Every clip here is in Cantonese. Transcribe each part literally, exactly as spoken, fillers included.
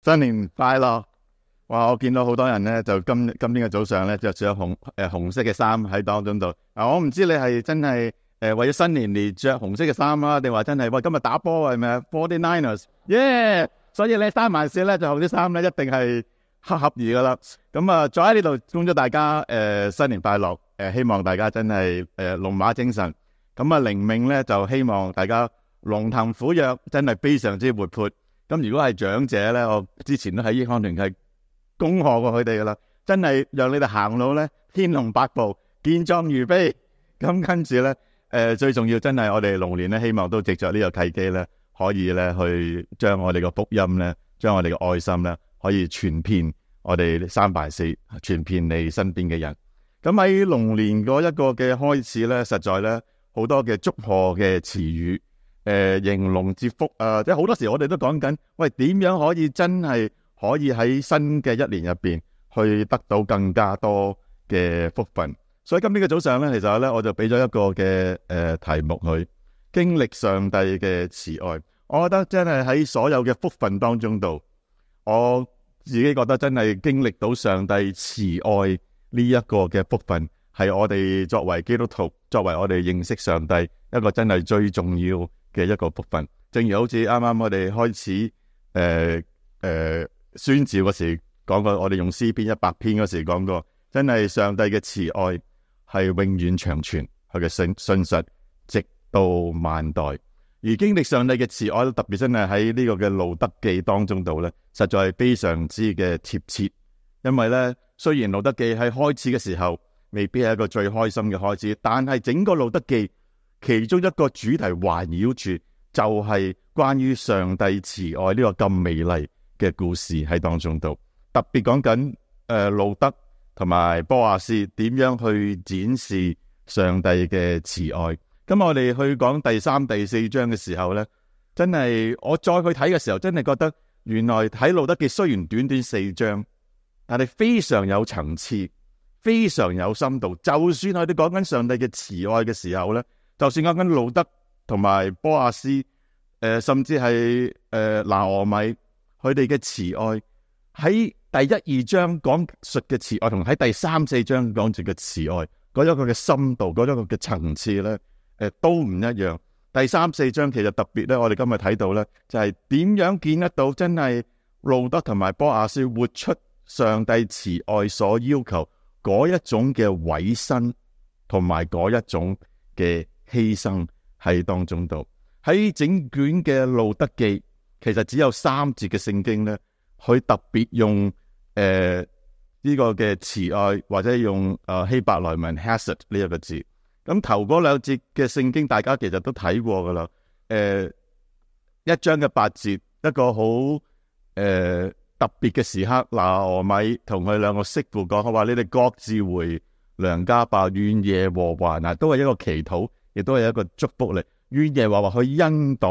新年快樂！哇，我見到好多人咧，就今今天嘅早上咧，着住紅誒、呃、紅色嘅衫喺當中度。啊，我唔知你係真係誒、呃、為咗新年而着紅色嘅衫啊，定話真係喂今日打波係咪啊 ？Forty Niners，耶！所以咧三萬四咧就紅啲衫咧，一定係黑合宜噶啦。咁啊，再喺呢度恭祝大家誒、呃、新年快樂！誒、呃，希望大家真係誒、呃、龍馬精神。咁啊，靈命咧就希望大家龍騰虎躍，真係非常之活潑。咁如果係長者咧，我之前都喺益康團契恭賀過佢哋噶啦，真係讓你哋行路咧天龍八部，健壯如飛。咁跟住咧，誒、呃、最重要真係我哋龍年咧，希望都藉着呢個契機咧，可以咧去將我哋嘅福音咧，將我哋嘅愛心咧，可以傳遍我哋三藩市，傳遍你身邊嘅人。咁喺龍年嗰一個嘅開始咧，實在咧好多嘅祝賀嘅詞語。誒，迎龍接福啊！即係好多時我哋都講緊，喂，點樣可以真係可以喺新嘅一年入邊去得到更加多嘅福分。所以今天嘅早上咧，其實咧我就俾咗一個嘅誒、呃、題目去經歷上帝嘅慈愛。我覺得真係喺所有嘅福分當中度，我自己覺得真係經歷到上帝慈愛呢一個嘅福分，係我哋作為基督徒，作為我哋認識上帝一個真係最重要嘅一個福分。正如好似啱啱我哋開始誒誒、呃呃、宣召嗰時講過，我哋用詩篇一百篇嗰時講過，真係上帝嘅慈愛係永遠長存，佢嘅信信實直到萬代。而經歷上帝嘅慈愛，特別真係喺呢個嘅路德記當中度咧，實在係非常之嘅貼切。因為咧，雖然路德記喺開始嘅時候未必係一個最開心嘅開始，但係整個路德記其中一個主題環繞住就係關於上帝慈愛呢個咁美麗嘅故事喺當中度，特別講緊誒路德同埋波亞斯點樣去展示上帝嘅慈愛。咁我哋去講第三、第四章嘅時候呢，真係我再去睇嘅時候，真係覺得原來睇路德記雖然短短四章，但係非常有層次，非常有深度。就算我哋講緊上帝嘅慈愛嘅時候呢，就算講緊路德同埋波亞斯，誒、呃，甚至係誒拿俄米，佢哋嘅慈愛喺第一二章講述嘅慈愛，同喺第三四章講述嘅慈愛，嗰一個嘅深度，嗰一個嘅層次咧，誒、呃，都唔一樣。第三四章其實特別咧，我哋今日睇到咧，就係、是、點樣見得到真係路德同埋波亞斯活出上帝慈愛所要求嗰一種嘅委身，同埋嗰一種嘅犧牲喺當中度。喺整卷嘅路德記，其實只有三節嘅聖經咧，佢特別用誒呢、呃這個嘅慈愛，或者用誒、呃、希伯來文 Hesed 呢一個字。咁頭嗰兩節嘅聖經，大家其實都睇過噶啦。誒、呃，一章嘅八節，一個好誒、呃、特別嘅時刻，拿俄米同佢兩個媳婦講，佢話你哋各自回娘家吧，願耶和華嗱，都係一個祈禱，亦都係一個祝福嚟。願耶和華去恩待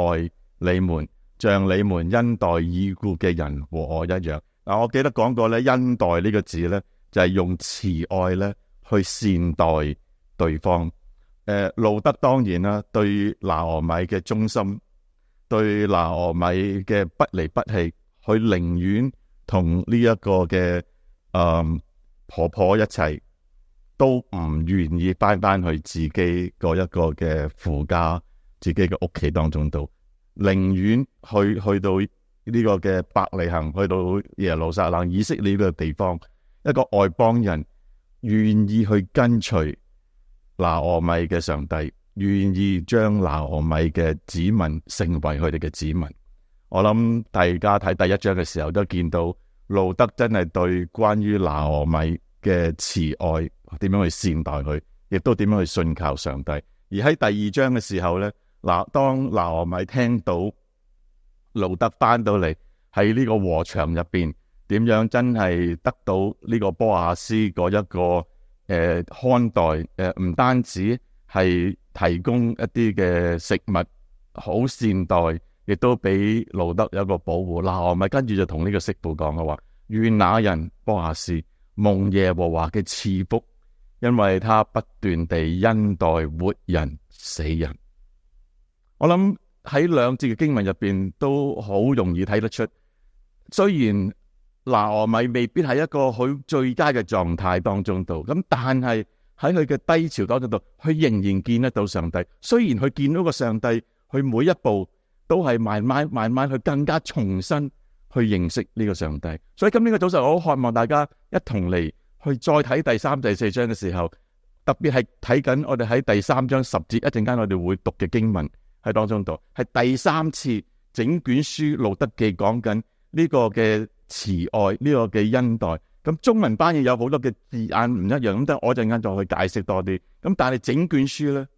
你們，像你們恩待已故嘅人和我一樣。嗱，我記得講過咧，恩待呢個字咧，就係、是、用慈愛咧去善待對方。誒、呃，路德當然啦，對拿俄米嘅忠心，對拿俄米嘅不離不棄，佢寧願同呢一個嘅誒、嗯、婆婆一齊，都唔願意翻翻去自己嗰一個嘅父家、自己嘅屋企當中度，寧願去去到呢個嘅伯利恆，去到耶路撒冷、以色列呢個地方，一個外邦人願意去跟隨拿俄米嘅上帝，願意將拿俄米嘅子民成為佢哋嘅子民。我諗大家睇第一章嘅時候都見到路德真係對關於拿俄米嘅慈愛點樣去善待佢，亦都點樣去信靠上帝。而喺第二章嘅時候呢，嗱，當拿俄米聽到路德翻到嚟喺呢個禾場入邊，點樣真係得到呢個波亞斯嗰一個誒、呃、看待誒，唔、呃、單止係提供一啲嘅食物，好善待，亦都俾路德有一個保護。拿俄米跟住就同呢個媳婦講嘅話：願那人波亞斯蒙耶和華嘅賜福，因為他不斷地恩待活人死人。我諗喺兩節嘅經文入邊都好容易睇得出，雖然拿俄米未必係一個好最佳嘅狀態當中度，咁但係喺佢嘅低潮當中度，佢仍然見得到上帝。雖然佢見到個上帝，佢每一步都係慢慢慢慢去更加重新去認識呢個上帝。所以今天嘅早上，我好渴望大家一同嚟去再睇第三、第四章嘅時候，特別係睇緊我哋喺第三章十節一陣間我哋會讀嘅經文喺當中度，係第三次整卷書路德記講緊呢個嘅慈愛，呢個嘅恩待。咁中文翻譯有好多嘅字眼唔一樣，咁等我陣間再去解釋多啲。咁但係整卷書咧，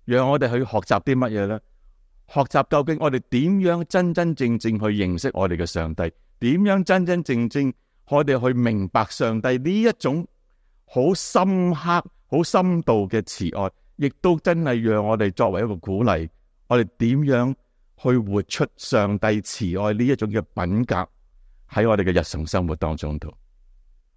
讓我哋去學習啲乜嘢咧？學習究竟我哋點樣真真正正去認識我哋嘅上帝？點樣真真正正我哋去明白上帝呢一種好深刻、好深度嘅慈愛，亦都真係讓我哋作為一個鼓勵，我哋點樣去活出上帝慈愛呢一種嘅品格喺我哋嘅日常生活當中度。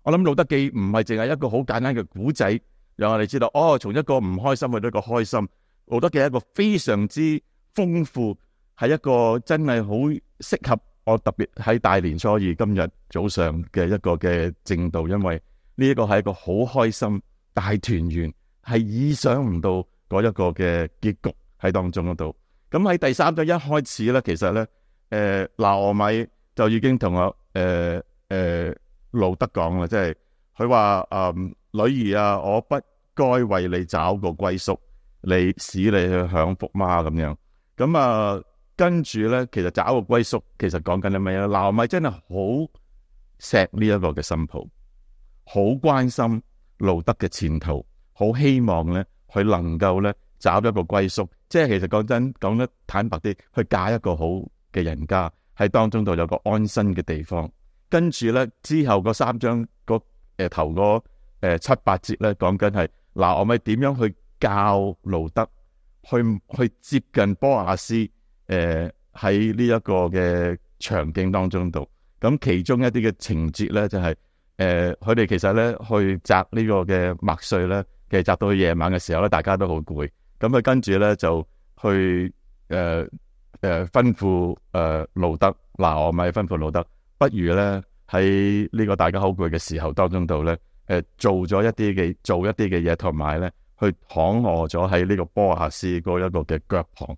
我諗路德記唔係淨係一個好簡單嘅古仔，讓我哋知道哦，從一個唔開心去到一個開心。路德記係一個非常之豐富，係一個真係好適合我，特別喺大年初二今日早上嘅一個嘅正道，因為呢一個係一個好開心大團圓，係意想唔到嗰一個嘅結局喺當中嗰度。咁喺第三章一開始咧，其實咧，誒拿俄米就已經同我誒誒路德講啦，即係佢話誒女兒啊，我不該為你找個歸宿，你使你去享福嗎？咁樣咁啊，跟住咧，其實找個歸宿，其實講緊啲咩咧？拿俄米真係好錫呢一個嘅新抱，好關心路德嘅前途，好希望咧佢能夠咧找一個歸宿。即係其實講真，講得坦白啲，去嫁一個好嘅人家，喺當中度有個安身嘅地方。跟住咧之後嗰三章嗰誒頭嗰誒七八節咧，講緊係嗱，我咪點樣去教路德去去接近波亞斯誒喺呢一個嘅場景當中度。咁其中一啲嘅情節咧就係誒佢哋其實咧去摘呢個嘅麥穗咧，其實摘到去夜晚嘅時候咧，大家都好攰。咁佢跟住咧就去誒誒、呃呃、吩咐誒路德，嗱我咪吩咐路德，不如咧喺呢個大家好攰嘅時候當中度咧，誒、呃、做咗一啲嘅做一啲嘅嘢，同埋咧去躺臥咗喺呢個波亞斯嗰一個嘅腳旁誒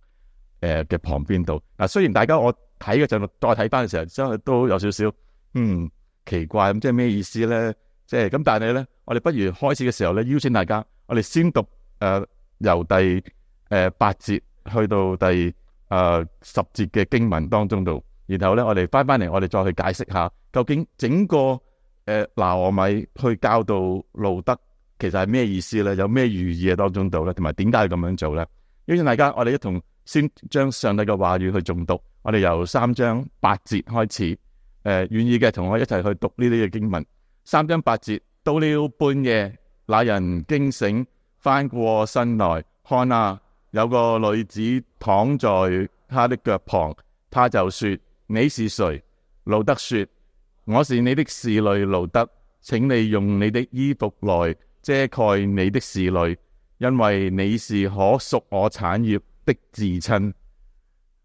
嘅、呃、旁邊度。嗱、啊、雖然大家我睇嘅陣再睇翻嘅時候，真係都有少少嗯奇怪，咁即係咩意思咧？即係咁，但係咧我哋不如開始嘅時候咧，邀請大家，我哋先讀誒。呃由第誒、呃、八節去到第誒、呃、十節嘅經文當中度，然後咧我哋翻翻嚟，我哋再去解釋下究竟整個誒拿俄米去教導路德其實係咩意思咧？有咩寓意喺當中度咧？同埋點解要咁樣做咧？邀請大家，我哋一同先將上帝嘅話語去誦讀。我哋由三章八節開始，誒、呃、願意嘅同我一齊去讀呢啲嘅經文。三章八節，到了半夜，那人驚醒，翻過身來，看啊，有個女子躺在他的腳旁，他就說：你是誰？路德說：我是你的侍女路德，請你用你的衣服來遮蓋你的侍女，因為你是可屬我產業的至親。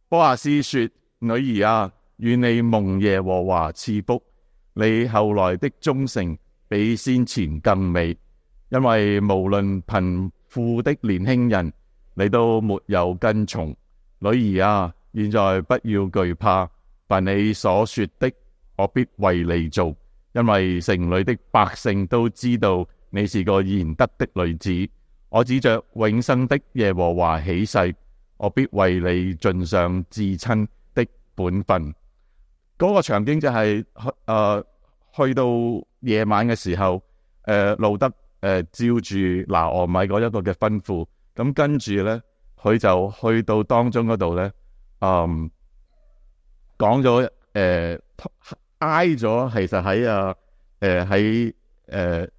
波亞斯說：女兒啊，願你蒙耶和華賜福，你後來的忠誠比先前更美。因為無論貧富的年輕人，你都沒有跟從。女兒啊，現在不要懼怕，凡你所說的，我必為你做。因為城裏的百姓都知道你是個賢德的女子。我指着永生的耶和華起誓，我必為你盡上至親的本分。嗰、那個場景就係、是、誒、呃、去到夜晚嘅時候，誒、呃、路德。誒、呃，照住拿俄米嗰一個嘅吩咐，咁跟住咧，佢就去到當中嗰度咧，嗯，講咗誒，挨咗，其實喺啊，誒喺誒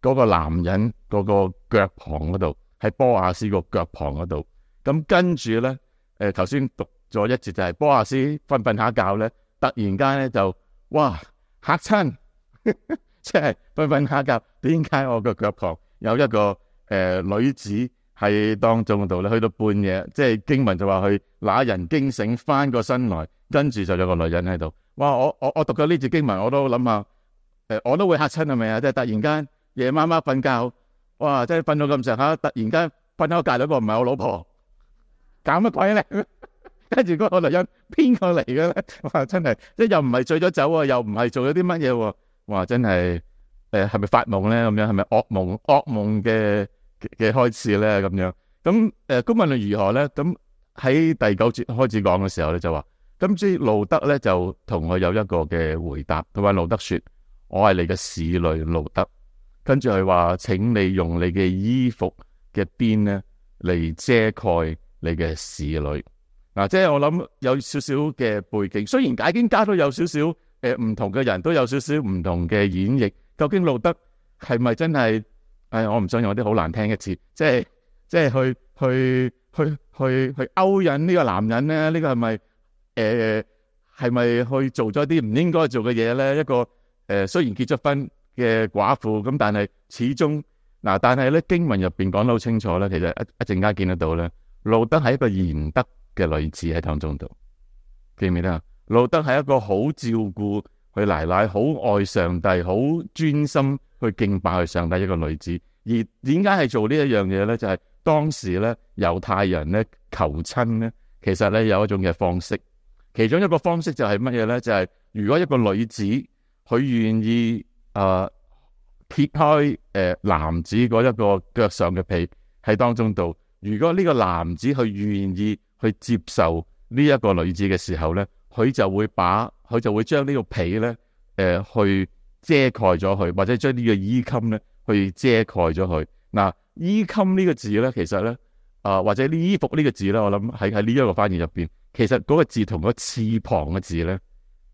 嗰個男人嗰個腳旁嗰度，喺波亞斯個腳旁嗰度，咁跟住咧，誒頭先讀咗一節就係波亞斯瞓瞓下覺咧，突然間咧就哇嚇親。即係瞓瞓下覺，點解我個腳旁有一個誒、呃、女子喺當中度咧？去到半夜，即係經文就話佢那人驚醒翻個身來，跟住就有個女人喺度。哇！我我我讀咗呢節經文，我都諗下，誒，我都會嚇親係咪啊？即係突然間夜媽媽瞓覺，哇！即係瞓到咁上下，突然間瞓喺我隔離嗰個唔係我老婆，搞乜鬼咧？跟住嗰個女人邊個嚟嘅咧？哇！真係即係又唔係醉咗酒啊，又唔係做咗啲乜嘢喎？哇！真係誒係咪發夢咧？咁樣係咪噩夢噩夢嘅嘅開始咧？咁樣咁誒，公民論如何咧？咁喺第九節開始講嘅時候咧，就話咁即係路德咧就同佢有一個嘅回答，佢話路德說：我係你嘅使女路德。跟住佢話：請你用你嘅衣服嘅邊咧嚟遮蓋你嘅使女。嗱、啊，即係我諗有少少嘅背景，雖然解經家都有少少誒唔同嘅人都有少少唔同嘅演繹。究竟路德係咪真係？誒、哎，我唔想用啲好難聽嘅詞，即係即係去去去去去勾引呢個男人咧？呢、這個係咪誒係咪去做咗啲唔應該做嘅嘢咧？一個誒、呃、雖然結咗婚嘅寡婦，咁但係始終嗱、啊，但係咧經文入邊講得好清楚咧，其實一一陣間見得到咧，路德係一個賢德嘅女子喺當中度，記唔記得啊？路德係一個好照顧佢奶奶，好愛上帝，好專心去敬拜佢上帝一個女子。而點解係做呢一樣嘢咧？就係、是、當時咧猶太人咧求親咧，其實咧有一種嘅方式，其中一個方式就係乜嘢咧？就係、是、如果一個女子佢願意誒、呃、撇開誒、呃、男子嗰一個腳上嘅被喺當中度，如果呢個男子佢願意去接受呢一個女子嘅時候咧，佢就會把佢就會將呢個被咧，誒、呃、去遮蓋咗佢，或者將呢個衣襟咧去遮蓋咗佢。嗱，衣襟呢個字咧，其實咧啊、呃，或者呢衣服呢個字咧，我諗喺喺呢一個翻譯入邊，其實嗰個字同個翅膀嘅字咧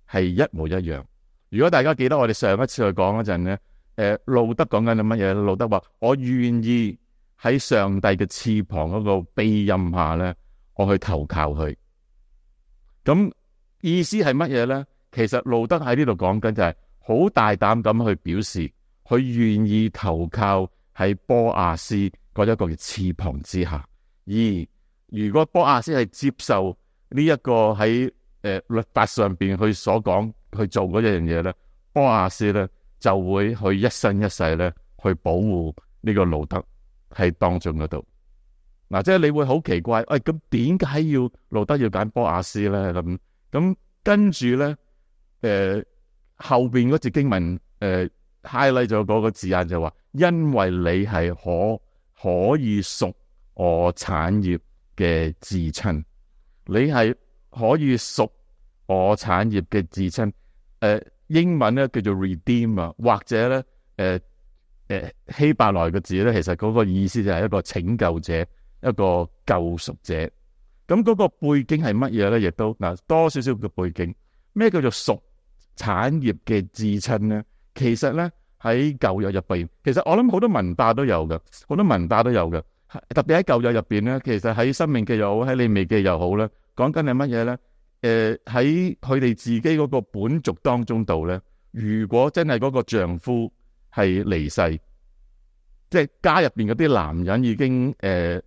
係一模一樣。如果大家記得我哋上一次去講嗰陣咧，誒、呃、路德講緊係乜嘢？路德話：我願意喺上帝嘅翅膀嗰個庇蔭下咧，我去投靠佢。咁意思係乜嘢咧？其實路德喺呢度講緊就係好大膽咁去表示，佢願意投靠喺波阿斯嗰一個嘅翅膀之下。而如果波阿斯係接受呢一個喺誒、呃、律法上邊佢所講去做嗰一樣嘢咧，波阿斯咧就會去一生一世咧去保護呢個路德喺當中嗰度。嗱、啊，即係你會好奇怪，誒咁點解要路德要揀波阿斯咧？咁咁跟住咧，誒、呃、後邊嗰節經文誒 highlight 咗嗰個字眼就話，因為你係可可以屬我產業嘅至親，你係可以屬我產業嘅至親。誒、呃、英文咧叫做 redeem 啊，或者咧誒誒希伯來嘅字咧，其實嗰個意思就係一個拯救者。一個救贖者，咁嗰個背景係乜嘢咧？亦都嗱多少少嘅背景，咩叫做屬產業嘅至親咧？其實咧喺舊約入邊，其實我諗好多文化都有嘅，好多文化都有嘅。特別喺舊約入邊咧，其實喺申命記又好，喺利未記又好咧，講緊係乜嘢咧？誒、呃，喺佢哋自己嗰個本族當中度咧，如果真係嗰個丈夫係離世，即係家入邊嗰啲男人已經誒。呃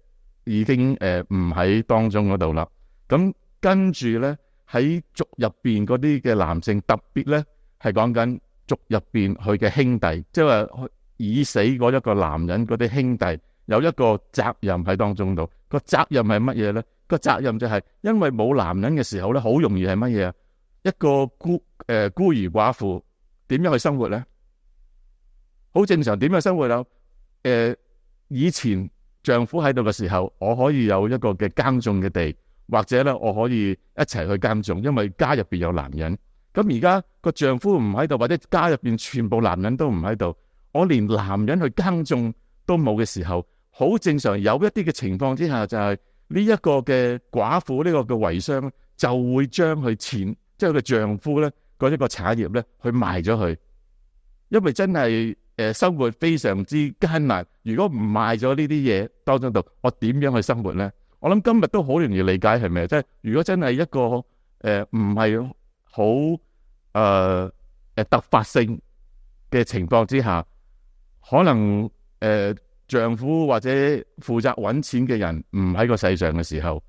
已經誒唔喺當中嗰度啦，咁跟住咧喺族入邊嗰啲嘅男性，特別咧係講緊族入邊佢嘅兄弟，即係話已死嗰一個男人嗰啲兄弟有一個責任喺當中度。個責任係乜嘢咧？個責任就係因為冇男人嘅時候咧，好容易係乜嘢啊？一個孤誒、呃、孤兒寡婦點樣去生活咧？好正常點樣生活啊？誒、呃、以前。丈夫喺度嘅時候，我可以有一個嘅耕種嘅地，或者咧我可以一齊去耕種，因為家入邊有男人。咁而家個丈夫唔喺度，或者家入邊全部男人都唔喺度，我連男人去耕種都冇嘅時候，好正常。有一啲嘅情況之下，就係呢一個嘅寡婦呢個嘅遺孀就會將佢前即係佢嘅丈夫咧嗰一個產業咧去賣咗佢，因為真係。誒，生活非常之艱難。如果唔賣咗呢啲嘢當中度，我點樣去生活咧？我諗今日都好容易理解，係咪？即係如果真係一個誒唔係好誒誒突發性嘅情況之下，可能誒、呃、丈夫或者負責搵錢嘅人唔喺個世上嘅時候，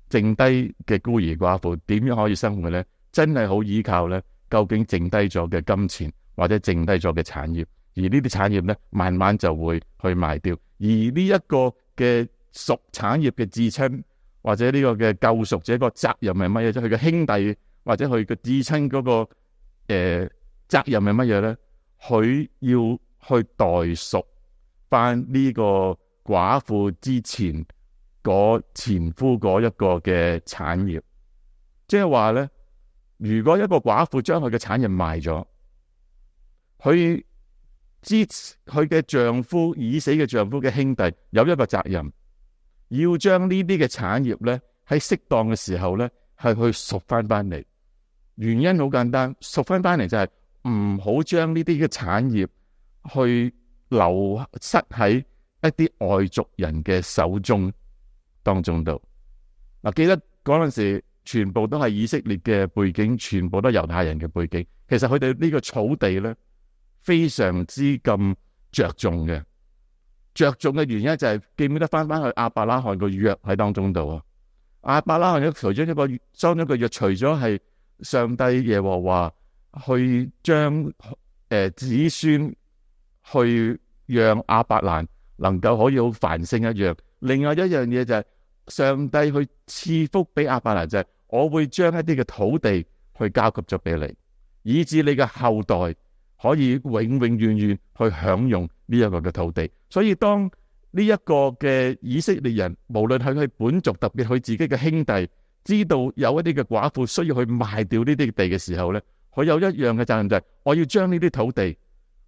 剩低嘅孤兒寡婦點樣可以生活咧？真係好依靠咧，究竟剩低咗嘅金錢或者剩低咗嘅產業，而呢啲產業咧慢慢就會去賣掉，而呢一個嘅屬產業嘅至親或者呢個嘅救贖者個責任係乜嘢？即係佢嘅兄弟或者佢嘅至親嗰個誒、呃、責任係乜嘢咧？佢要去代贖翻呢個寡婦之前嗰前夫嗰一個嘅產業，即係話咧，如果一個寡婦將佢嘅產業賣咗，佢之佢嘅丈夫已死嘅丈夫嘅兄弟有一個責任，要將呢啲嘅產業咧喺適當嘅時候咧係去贖翻翻嚟。原因好簡單，贖翻翻嚟就係唔好將呢啲嘅產業去流失喺一啲外族人嘅手中當中度。嗱，記得嗰陣時全部都係以色列嘅背景，全部都係猶太人嘅背景。其實佢哋呢個草地咧非常之咁着重嘅，着重嘅原因就係、是、記唔記得翻翻去亞伯拉罕個約喺當中度啊？亞伯拉罕咧除咗一個裝咗個約，除咗係上帝耶和華去將誒、呃、子孫去讓亞伯蘭能夠可以好繁盛一樣，另外一樣嘢就係上帝去賜福俾亞伯蘭，就係我會將一啲嘅土地去交給咗俾你，以致你嘅後代可以永永遠遠去享用呢一個嘅土地。所以當呢一個嘅以色列人，無論係佢本族，特別佢自己嘅兄弟，知道有一啲嘅寡婦需要去賣掉呢啲地嘅時候咧，佢有一樣嘅責任就係我要將呢啲土地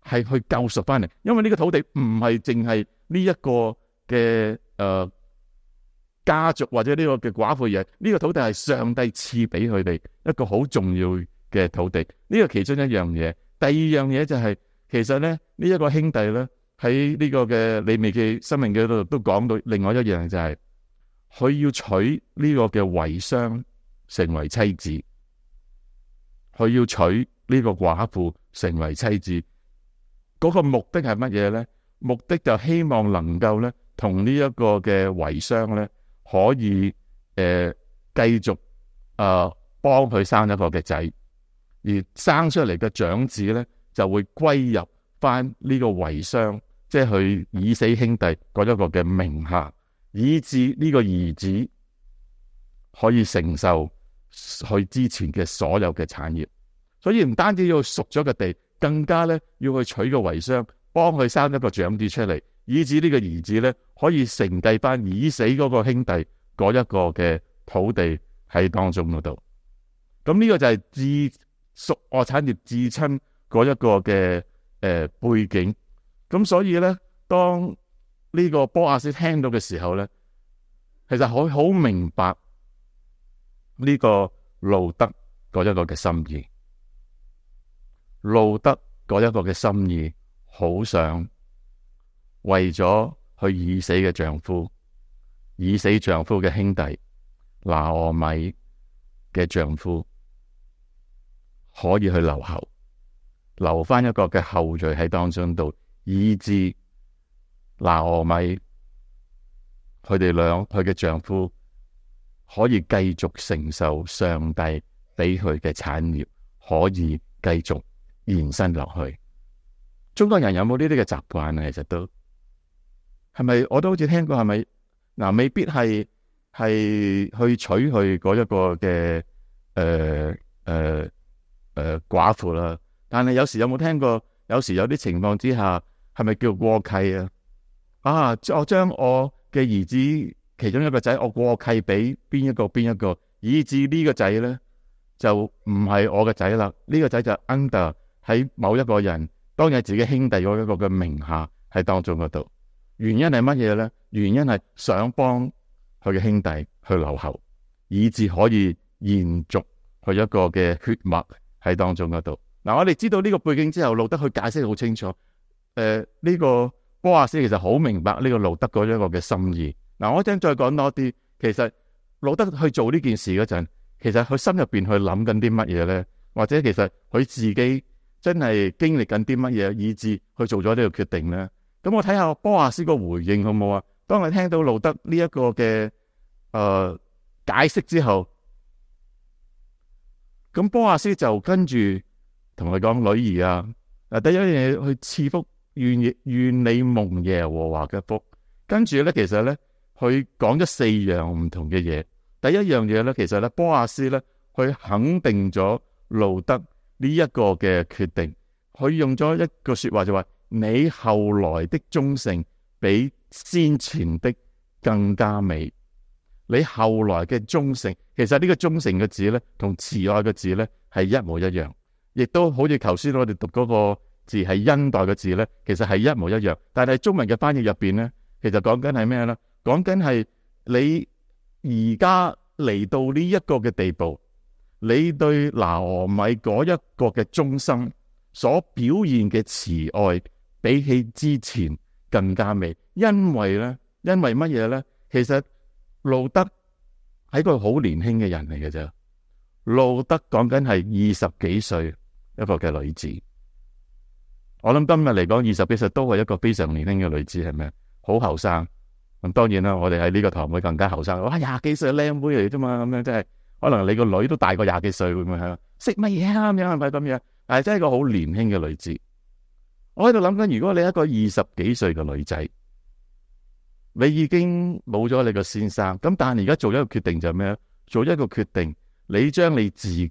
係去救贖翻嚟，因為呢個土地唔係淨係呢一個嘅誒、呃、家族或者呢個嘅寡婦嘢，呢個土地係上帝賜俾佢哋一個好重要嘅土地，呢個其中一樣嘢。第二樣嘢就係、是、其實咧呢一、這個兄弟咧喺呢個嘅利未記、申命記嗰度都講到另外一樣就係、是、佢要娶呢個嘅遺孀成為妻子，佢要娶呢個寡婦成為妻子。嗰個目的係乜嘢咧？目的就希望能夠咧，同呢一個嘅遺孀咧，可以誒繼續誒幫佢生一個嘅仔，而生出嚟嘅長子咧，就會歸入翻呢個遺孀，即係佢已死兄弟嗰一個嘅名下，以致呢個兒子可以承受佢之前嘅所有嘅產業。所以唔單止要贖咗個地，更加咧要去娶個遺孀，幫佢生一個長子出嚟，以致呢個兒子咧可以承繼翻已死嗰個兄弟嗰一個嘅土地喺當中嗰度。咁呢個就係至屬我產業至親嗰一個嘅誒、呃、背景。咁所以咧，當呢個波亞斯聽到嘅時候咧，其實佢好明白呢個路得嗰一個嘅心意。路得嗰一個嘅心意，好想為咗佢已死嘅丈夫、已死丈夫嘅兄弟拿俄米嘅丈夫，可以去留後，留翻一個嘅後裔喺當中度，以致拿俄米佢哋兩佢嘅丈夫可以繼續承受上帝俾佢嘅產業，可以繼續延伸落去。中國人有冇呢啲嘅習慣啊？其實都係咪？我都好似聽過，係咪嗱？未必係係去娶佢嗰一個嘅誒誒誒寡婦啦。但係有時有冇聽過？有時有啲情況之下，係咪叫過契啊？啊，我將我嘅兒子其中一個仔，我過契俾邊一個邊一個，以致呢個仔咧就唔係我嘅仔啦。呢個仔就 under 喺某一個人，當日自己兄弟嗰一個嘅名下喺當中嗰度。原因係乜嘢咧？原因係想幫佢嘅兄弟去留後，以致可以延續佢一個嘅血脈喺當中嗰度。嗱，我哋知道呢個背景之後，路得去解釋好清楚。誒、呃，呢、這個波亞斯其實好明白呢個路得嗰一個嘅心意。嗱，我一陣再講多啲。其實路得去做呢件事嗰陣，其實佢心入邊去諗緊啲乜嘢咧？或者其實佢自己真係經歷緊啲乜嘢，以致去做咗呢個決定咧？咁我睇下波亞斯個回應好唔好啊？當佢聽到路得呢一個嘅誒、呃、解釋之後，咁波亞斯就跟住同佢講，女兒啊，嗱，第一樣嘢去賜福，願願你蒙耶和華嘅福。跟住咧，其實咧，佢講咗四樣唔同嘅嘢。第一樣嘢咧，其實咧，波亞斯咧，佢肯定咗路得呢一個嘅決定。佢用咗一個說話就話：你後來的忠誠比先前的更加美。你後來嘅忠誠，其實呢個忠誠嘅字咧，同慈愛嘅字咧係一模一樣，亦都好似頭先我哋讀嗰個字係恩待嘅字咧，其實係一模一樣。但係中文嘅翻譯入邊咧，其實講緊係咩咧？講緊係你而家嚟到呢一個嘅地步，你對拿俄米嗰一個嘅忠心所表現嘅慈愛，比起之前更加美。因為咧，因為乜嘢咧？其實路得係個好年輕嘅人嚟嘅啫。路得講緊係二十幾歲一個嘅女子。我諗今日嚟講，二十幾歲都係一個非常年輕嘅女子，係咪？好後生。咁當然啦，我哋喺呢個堂會更加後生。哇，廿幾歲靚妹嚟啫嘛，咁樣即係可能你個女都大過廿幾歲，會唔會係？識乜嘢啊？咁樣係咪咁樣？但係真係一個好年輕嘅女子。我喺度諗緊，如果你係一個二十幾歲嘅女仔，你已經冇咗你個先生，咁但係而家做一個決定就係咩？做一個決定，你將你自己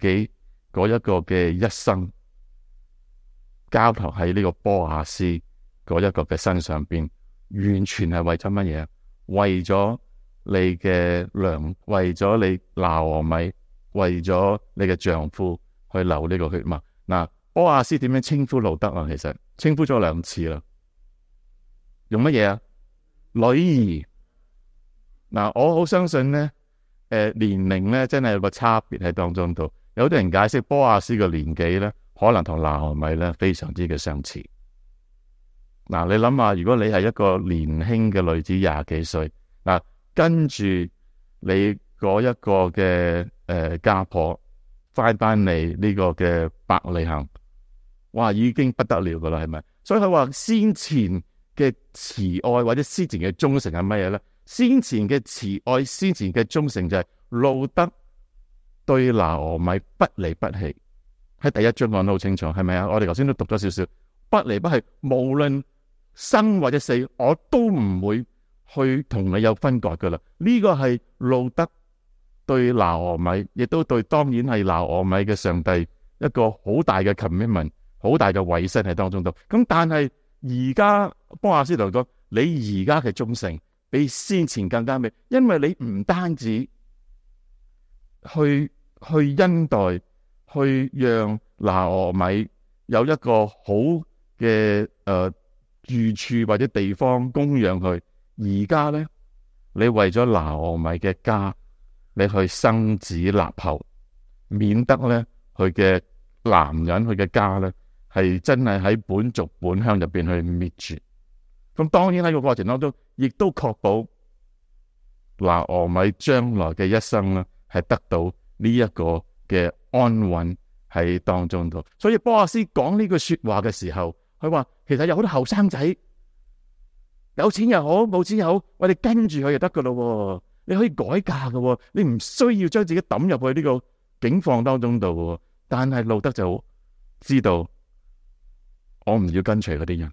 嗰一個嘅一生交託喺呢個波亞斯嗰一個嘅身上邊，完全係為咗乜嘢？為咗你嘅娘，為咗你拿俄米，為咗你嘅丈夫去流呢個血脈。嗱，波亞斯點樣稱呼路得啊？其實稱呼咗兩次啦，用乜嘢啊？女兒。嗱，我好相信咧，誒、呃、年齡咧真係有個差別喺當中度。有啲人解釋波亞斯嘅年紀咧，可能同拿俄米咧非常之嘅相似。嗱，你諗下，如果你係一個年輕嘅女子廿幾歲，嗱，跟住你嗰一個嘅誒、呃、家婆翻翻嚟呢個嘅伯利恆，哇，已經不得了噶啦，係咪？所以佢話先前嘅慈愛或者先前嘅忠誠係乜嘢咧？先前嘅慈愛、先前嘅忠誠就係路得對拿俄米不離不棄。喺第一章講得好清楚，係咪啊？我哋頭先都讀咗少少，不離不棄，無論生或者死，我都唔會去同你有分割噶啦。呢、這個係路得對拿俄米，亦都對當然係拿俄米嘅上帝一個好大嘅 commitment， 好大嘅委身喺當中度。咁但係而家波亞斯同佢講，你而家嘅忠誠比先前更加美，因為你唔單止去去恩待，去讓拿俄米有一個好嘅誒住處或者地方供養佢，而家咧你為咗拿俄米嘅家，你去生子立後，免得咧佢嘅男人佢嘅家咧係真係喺本族本鄉入邊去滅絕。咁當然喺個過程當中，亦都確保拿俄米將來嘅一生咧係得到呢一個嘅安穩喺當中度。所以波亞斯講呢句說話嘅時候，佢話其實有好多後生仔，有錢又好，冇錢又好，我哋跟住佢就得噶咯。你可以改嫁噶，你唔需要將自己抌入去呢個境況當中度。但係路得就知道，我唔要跟隨嗰啲人，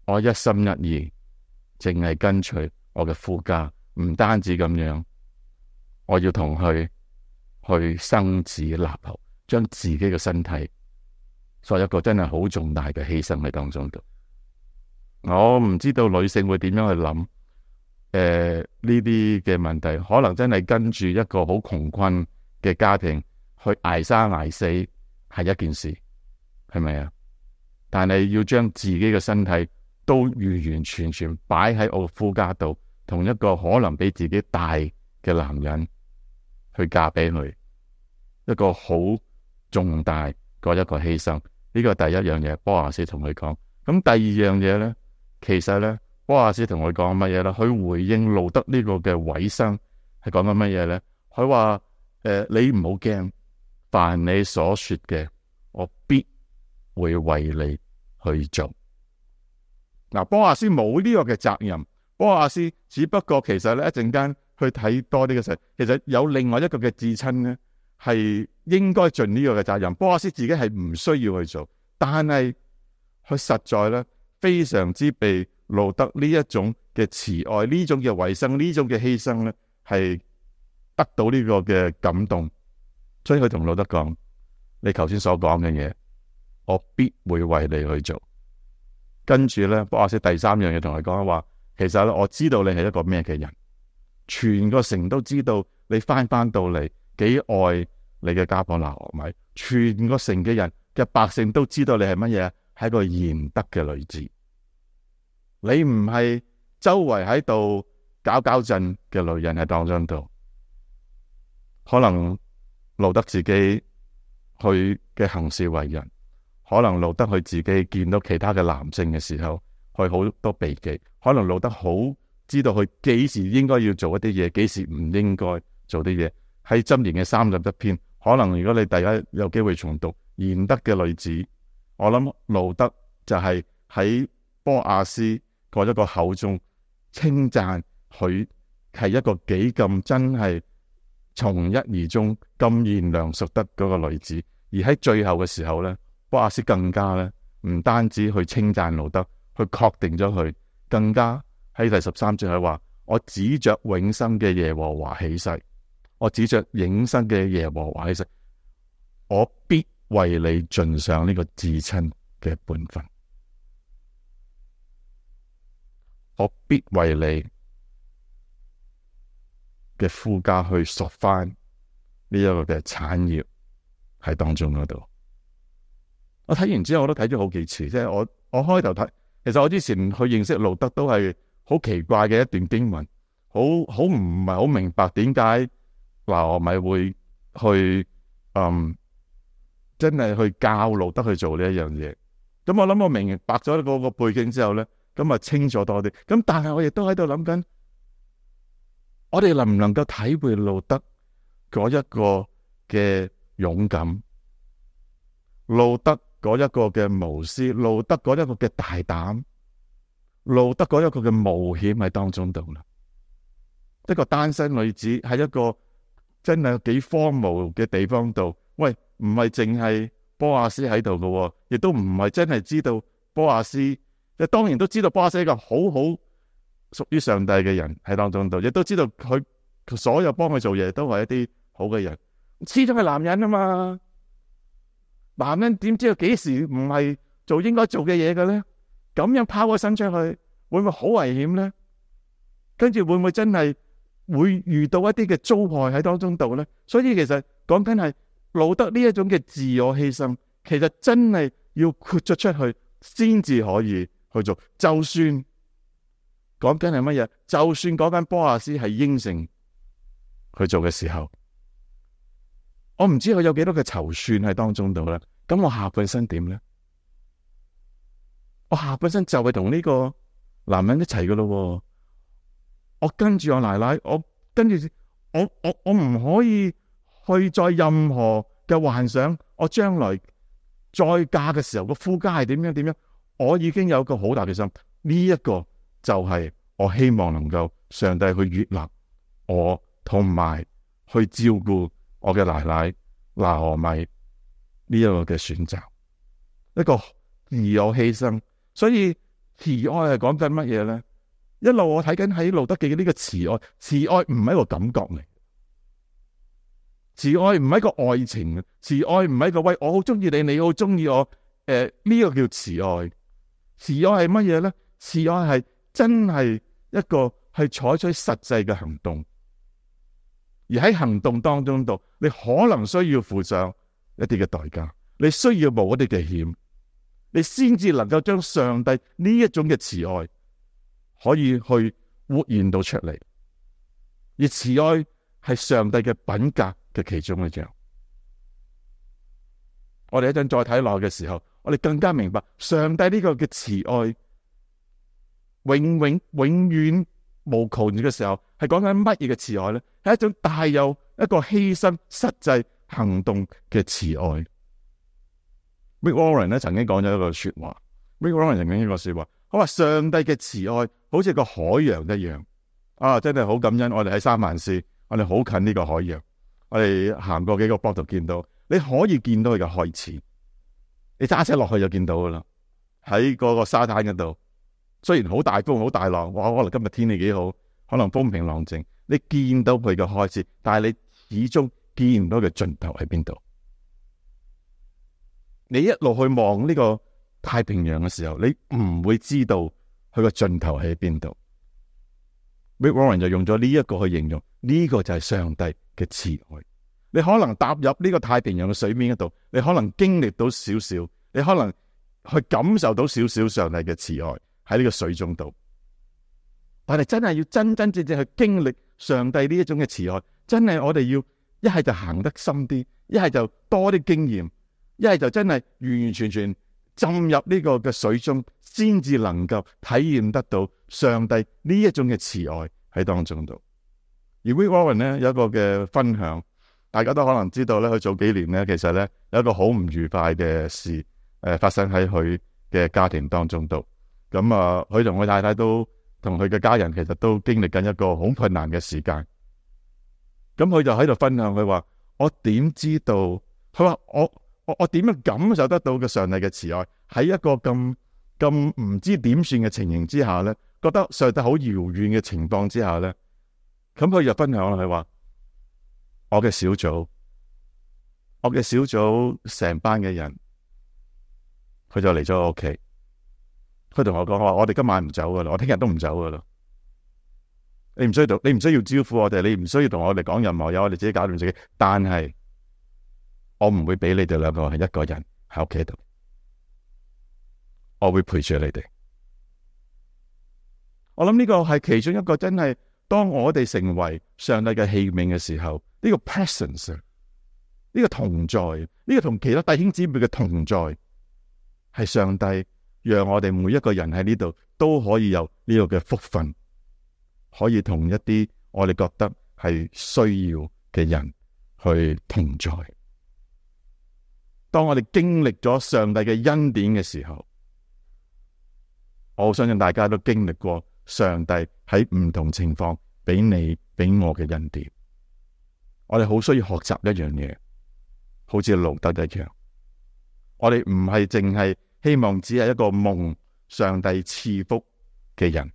我一心一意淨係跟隨我嘅夫家。唔單止咁樣，我要同佢去生子立後，將自己嘅身體作一個真係好重大嘅犧牲喺當中度。我唔知道女性會點樣去諗誒呢啲嘅問題，可能真係跟住一個好窮困嘅家庭去捱生捱死係一件事，係咪啊？但係要將自己嘅身體都完完全全擺喺我夫家度，同一個可能比自己大嘅男人去嫁俾佢，一個好重大嗰一個犧牲。呢個第一樣嘢，波亞斯同佢講。咁第二樣嘢咧，其實咧，波亞斯同佢講乜嘢咧？佢回應路得呢個嘅委身係講緊乜嘢咧？佢話誒，你唔好驚，凡你所說嘅，我必會為你去做。嗱，波亞斯冇呢個嘅責任，波亞斯只不過其實咧一陣間去睇多啲嘅時候，其實有另外一個嘅至親咧，係應該盡呢個嘅責任。波阿斯自己係唔需要去做，但係佢實在咧非常之被路德呢一種嘅慈愛、呢種嘅犧牲、呢種嘅犧牲咧，係得到呢個嘅感動，所以佢同路德講：你頭先所講嘅嘢，我必會為你去做。跟住咧，波阿斯第三樣嘢同佢講話，其實咧我知道你係一個咩嘅人，全個城都知道你翻翻到嚟幾愛你嘅家婆拿俄米，全個城嘅人嘅百姓都知道你係乜嘢，係一個賢德嘅女子。你唔係周圍喺度搞搞震嘅女人喺當中度。可能路德自己去嘅行事為人，可能路德佢自己見到其他嘅男性嘅時候，佢好多避忌。可能路德好知道佢幾時應該要做一啲嘢，幾時唔應該做啲嘢。喺箴言嘅三十一篇，可能如果你大家有機會重讀賢德嘅女子，我諗路德就係喺波阿斯嗰一個口中稱讚佢係一個幾咁真係從一而終咁賢良淑德嗰個女子。而喺最後嘅時候咧，波阿斯更加咧唔單止去稱讚路德，去確定咗佢，更加喺第十三節佢話：我指着永生嘅耶和華起誓，我指着永生嘅耶和華起誓，我必為你盡上呢個至親嘅本分，我必為你嘅夫家去贖翻呢一個嘅產業喺當中嗰度。我睇完之後我都睇咗好幾次，即係我我開頭睇，其實我之前去認識路德都係好奇怪嘅一段經文，好好唔係好明白點解拿俄米會去嗯真係去教路德去做呢一樣嘢。咁我諗我明白咗嗰個背景之後咧，咁啊清楚多啲。咁但係我亦都喺度諗緊，我哋能唔能夠體會路德嗰一個嘅勇敢，路德嗰一個嘅無私，路德嗰一個嘅大膽，路德嗰一個嘅冒險喺當中度啦。一個單身女子喺一個真係幾荒蕪嘅地方度，喂，唔係淨係波阿斯喺度嘅，亦都唔係真係知道波阿斯，即係當然都知道波阿斯係一個好好屬於上帝嘅人喺當中度，亦都知道佢所有幫佢做嘢都係一啲好嘅人。始終係男人啊嘛，男人點知道幾時唔係做應該做嘅嘢嘅咧？咁樣拋個身出去，會唔會好危險咧？跟住會唔會真係會遇到一啲嘅遭害喺當中度咧？所以其實講緊係路德呢一種嘅自我犧牲，其實真係要豁咗出去先至可以去做。就算講緊係乜嘢，就算講緊波阿斯係應承去做嘅時候，我唔知佢有幾多嘅籌算喺當中度咧。咁我下半身點咧？我下半身就係同呢個男人一齊噶咯。我跟住我奶奶，我跟住我我我唔可以去再任何嘅幻想，我將來再嫁嘅時候個夫家係點樣點樣。我已經有個好大嘅心，呢、這、一個就係我希望能夠上帝去悅納我，同埋去照顧我嘅奶奶拿俄米呢一個嘅選擇，一個自我犧牲。所以慈愛係講緊乜嘢咧？一路我睇緊喺路德記嘅呢個慈愛，慈愛唔係一個感覺嚟，慈愛唔係一個愛情，慈愛唔係一個喂我好中意你，你好中意我，誒、呃、呢、這個叫慈愛。慈愛係乜嘢咧？慈愛係真係一個係採取實際嘅行動，而喺行動當中度，你可能需要付上一啲嘅代價，你需要冒一啲嘅險，你先至能夠將上帝呢一種嘅慈愛可以去活現到出嚟。而慈愛係上帝嘅品格嘅其中一樣。我哋一陣再睇落嘅時候，我哋更加明白上帝呢個嘅慈愛永永永遠無窮嘅時候，係講緊乜嘢嘅慈愛咧？係一種帶有一個犧牲實際行動嘅慈愛。Rick Warren 咧曾經講咗一個說話。Rick Warren 曾經一個說話，佢話上帝嘅慈愛好似個海洋一樣啊！真係好感恩，我哋喺三藩市，我哋好近呢個海洋。我哋行過幾個坡度見到，你可以見到佢嘅開始。你揸車落去就見到噶啦，喺嗰個沙灘嗰度，雖然好大風好大浪，哇！可能今日天氣幾好，可能風平浪靜，你見到佢嘅開始，但係你始終見唔到佢盡頭喺邊度。你一路去望呢個太平洋嘅時候，你唔會知道佢個盡頭喺邊度。Rick Warren 就用咗呢一個去形容，呢個就係上帝嘅慈愛。你可能踏入呢個太平洋嘅水面嗰度，你可能經歷到少少，你可能去感受到少少上帝嘅慈愛喺呢個水中度。但係真係要真真正正去經歷上帝呢一種嘅慈愛，真係我哋要一係就行得深啲，一係就多啲經驗，一係就真係完完全全浸入呢個嘅水中，先至能夠體驗得到上帝呢一種嘅慈愛喺當中度。而 Rick Warren 咧有一個嘅分享，大家都可能知道咧，佢早幾年咧其實咧有一個好唔愉快嘅事誒、呃、發生喺佢嘅家庭當中度。咁啊，佢同佢太太都同佢嘅家人其實都經歷緊一個好困難嘅時間。咁佢就喺度分享，佢話：我點知道？佢話我我我點樣感受得到嘅上帝嘅慈愛？喺一個咁咁唔知點算嘅情形之下咧，覺得上帝好遙遠嘅情況之下咧，咁佢就分享啦。佢話：我嘅小組，我嘅小組成班嘅人，佢就嚟咗我屋企。佢同我講話：我哋今晚唔走噶啦，我聽日都唔走噶啦。你唔需要，你唔需要招呼我哋，你唔需要同我哋講任何嘢，我哋自己搞掂自己。但係我唔會俾你哋兩個係一個人喺屋企度，我會陪住你哋。我諗呢個係其中一個真係，當我哋成為上帝嘅器皿嘅時候，呢個 presence，呢個同在，呢個同其他弟兄姊妹嘅同在，係上帝讓我哋每一個人喺呢度都可以有呢個嘅福分，可以同一啲我哋覺得係需要嘅人去同在。當我哋經歷咗上帝嘅恩典嘅時候，我相信大家都經歷過上帝喺唔同情況俾你俾我嘅恩典。我哋好需要學習一樣嘢，好似路德一樣。我哋唔係淨係希望只係一個蒙上帝賜福嘅人。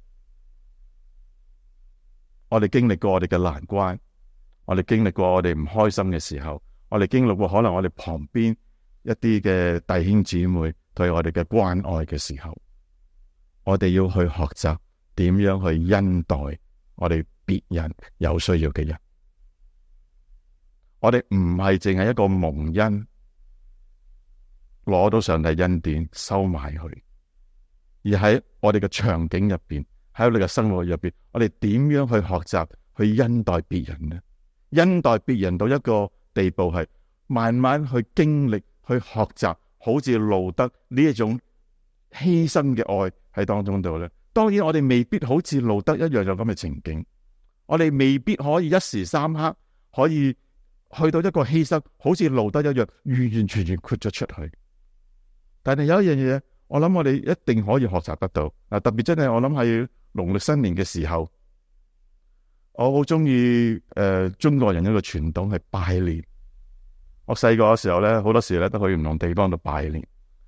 我哋經歷過我哋嘅難關，我哋經歷過我哋唔開心嘅時候，我哋經歷過可能我哋旁邊一啲嘅弟兄姊妹對我哋嘅關愛嘅時候，我哋要去學習點樣去恩待我哋別人有需要嘅人。我哋唔係淨係一個蒙恩，攞到上帝恩典收埋去，而喺我哋嘅場景入邊，喺我哋嘅生活入邊，我哋點樣去學習去恩待別人呢？恩待別人到一個地步，係慢慢去經歷、去學習，好似路德呢一種犧牲嘅愛喺當中度咧。當然，我哋未必好似路德一樣有咁嘅情景，我哋未必可以一時三刻可以去到一個犧牲，好似路德一樣完完全全豁咗出去。但係有一樣嘢，我諗我哋一定可以學習得到。嗱，特別真係我諗係農曆新年嘅時候，我好中意誒中國人一個傳統係拜年。我細個嘅時候咧，好多時咧都去唔同地方度拜年。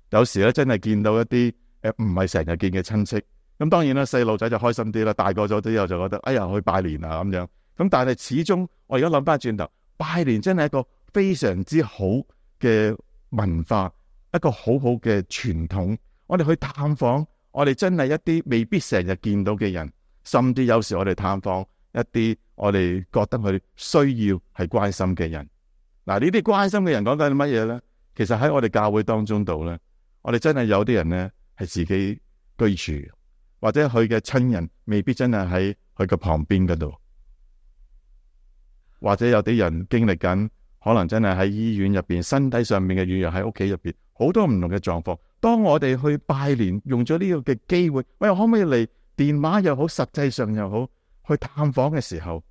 有時咧真係見到一啲誒唔係成日見嘅親戚。咁當然啦，細路仔就開心啲啦。大個咗之後就覺得哎呀去拜年啊咁樣。咁但係始終我而家諗翻轉頭，拜年真係一個非常之好嘅文化，一個好好嘅傳統。我哋去探訪，我哋真係一啲未必成日見到嘅人，甚至有時我哋探訪一啲我哋覺得佢需要係關心嘅人。嗱，呢啲關心嘅人講緊乜嘢咧？其實喺我哋教會當中度咧，我哋真係有啲人咧係自己居住，或者佢嘅親人未必真係喺佢嘅旁邊嗰度，或者有啲人經歷緊，可能真係喺醫院入邊，身體上面嘅軟弱，喺屋企入邊，好多唔同嘅狀況。當我哋去拜年，用咗呢個嘅機會，喂，可唔可以嚟電話又好，實際上又好，去探訪嘅時候，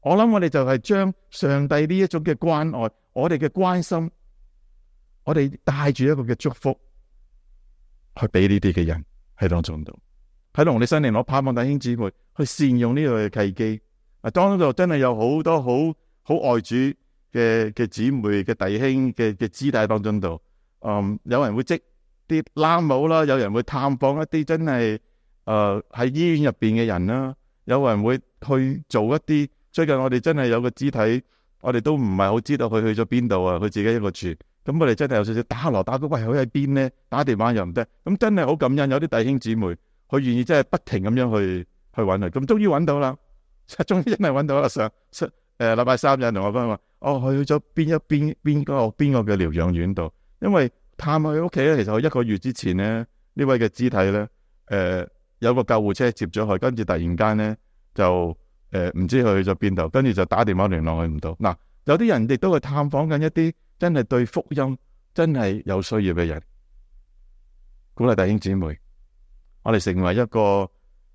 我諗我哋就係將上帝呢一種嘅關愛，我哋嘅關心，我哋帶住一個嘅祝福，去俾呢啲嘅人喺當中度。喺農曆新年，我盼望弟兄姊妹去善用呢個嘅契機。啊，當中真係有好多好好愛主嘅嘅姊妹嘅弟兄嘅嘅肢體當中度，嗯，有人會織啲冷帽啦，有人會探訪一啲真係誒喺醫院入邊嘅人啦，有人會去做一啲。最近我哋真係有個肢體，我哋都唔係好知道佢去咗邊度啊，佢自己一個住。咁我哋真係有少少打鑼打鼓，喂，佢喺邊咧？打電話又唔得。咁真係好感恩，有啲弟兄姊妹佢願意真係不停咁樣去去揾佢。咁終於揾到啦，終於真係揾到啦。上誒禮拜三有人同我講話，哦，佢去咗邊一邊邊個邊個嘅療養院度，因為探佢屋企咧。其實佢一個月之前咧，呢位嘅肢體咧，誒、呃、有個救護車接咗佢，跟住突然間咧就。誒，唔、呃、知佢去咗邊度，跟住就打電話聯絡佢唔到。嗱，有啲人亦都去探訪緊一啲真係對福音真係有需要嘅人，鼓勵弟兄姊妹，我哋成為一個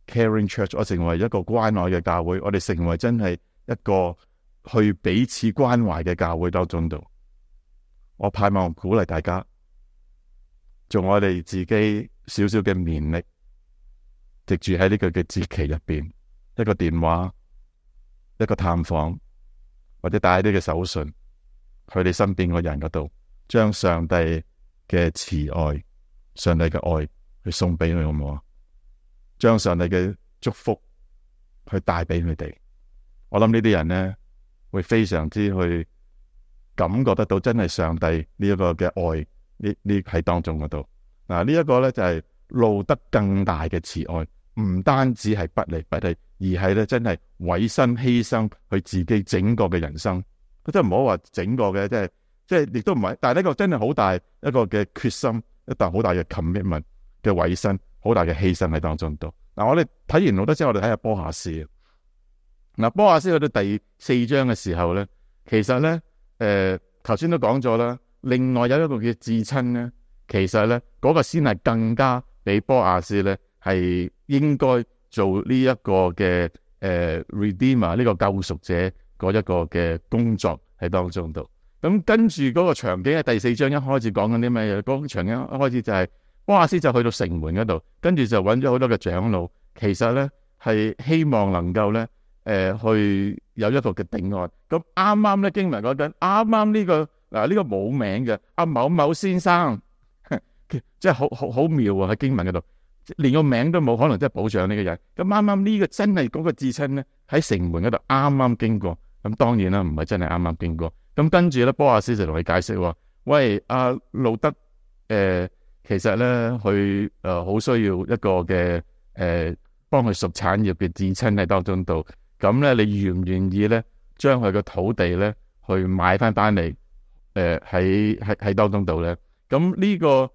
caring church，我成為一個關愛嘅教會，我哋成為真係一個去彼此關懷嘅教會當中度。我盼望鼓勵大家，做我哋自己少少嘅勉力，藉住喺呢個嘅節期入邊，一個電話。一個探訪，或者帶啲嘅手信去你身邊個人嗰度，將上帝嘅慈愛、上帝嘅愛去送俾佢，好唔好啊？將上帝嘅祝福去帶俾佢哋。我諗呢啲人咧會非常之去感覺得到，真係上帝呢一個嘅愛呢呢喺當中嗰度。嗱，呢一個咧就係路得更大嘅慈愛。唔單止係不離不棄，而係咧真係委身犧牲佢自己整個嘅人生。佢真係唔好話整個嘅，即係即係亦都唔係。但係呢個真係好大一個嘅決心，一啖好大嘅 commitment 嘅委身，好大嘅犧牲喺當中度。嗱，我哋睇完路得之後，我哋睇下波亞斯。嗱，波亞斯去到第四章嘅時候咧，其實咧誒頭先都講咗啦。另外有一個叫至親咧，其實咧嗰、那個先係更加比波亞斯咧。係應該做呢一個嘅誒、呃、Redeemer 呢個救贖者嗰一個嘅工作喺當中度。咁跟住嗰個場景喺第四章一開始講緊啲咩嘢？嗰、那個場景一開始就係波亞斯就去到城門嗰度，跟住就揾咗好多嘅長老。其實咧係希望能夠咧誒、呃、去有一個嘅定案。咁啱啱咧經文講緊，啱啱呢個嗱呢、啊這個冇名嘅阿某某先生，即係好好好妙啊！喺經文嗰度。連個名都冇，可能真係保障呢個人。咁啱啱呢個真係嗰個至親咧，喺城門嗰度啱啱經過。咁當然啦，唔係真係啱啱經過。咁跟住咧，波亞斯就同佢解釋話：喂，阿、啊、路得，誒、呃，其實咧，佢誒好需要一個嘅誒，幫佢贖產業嘅至親喺當中度。咁咧，你願唔願意咧，將佢個土地咧，去買翻翻嚟？誒喺喺喺當中度咧？咁呢、這個。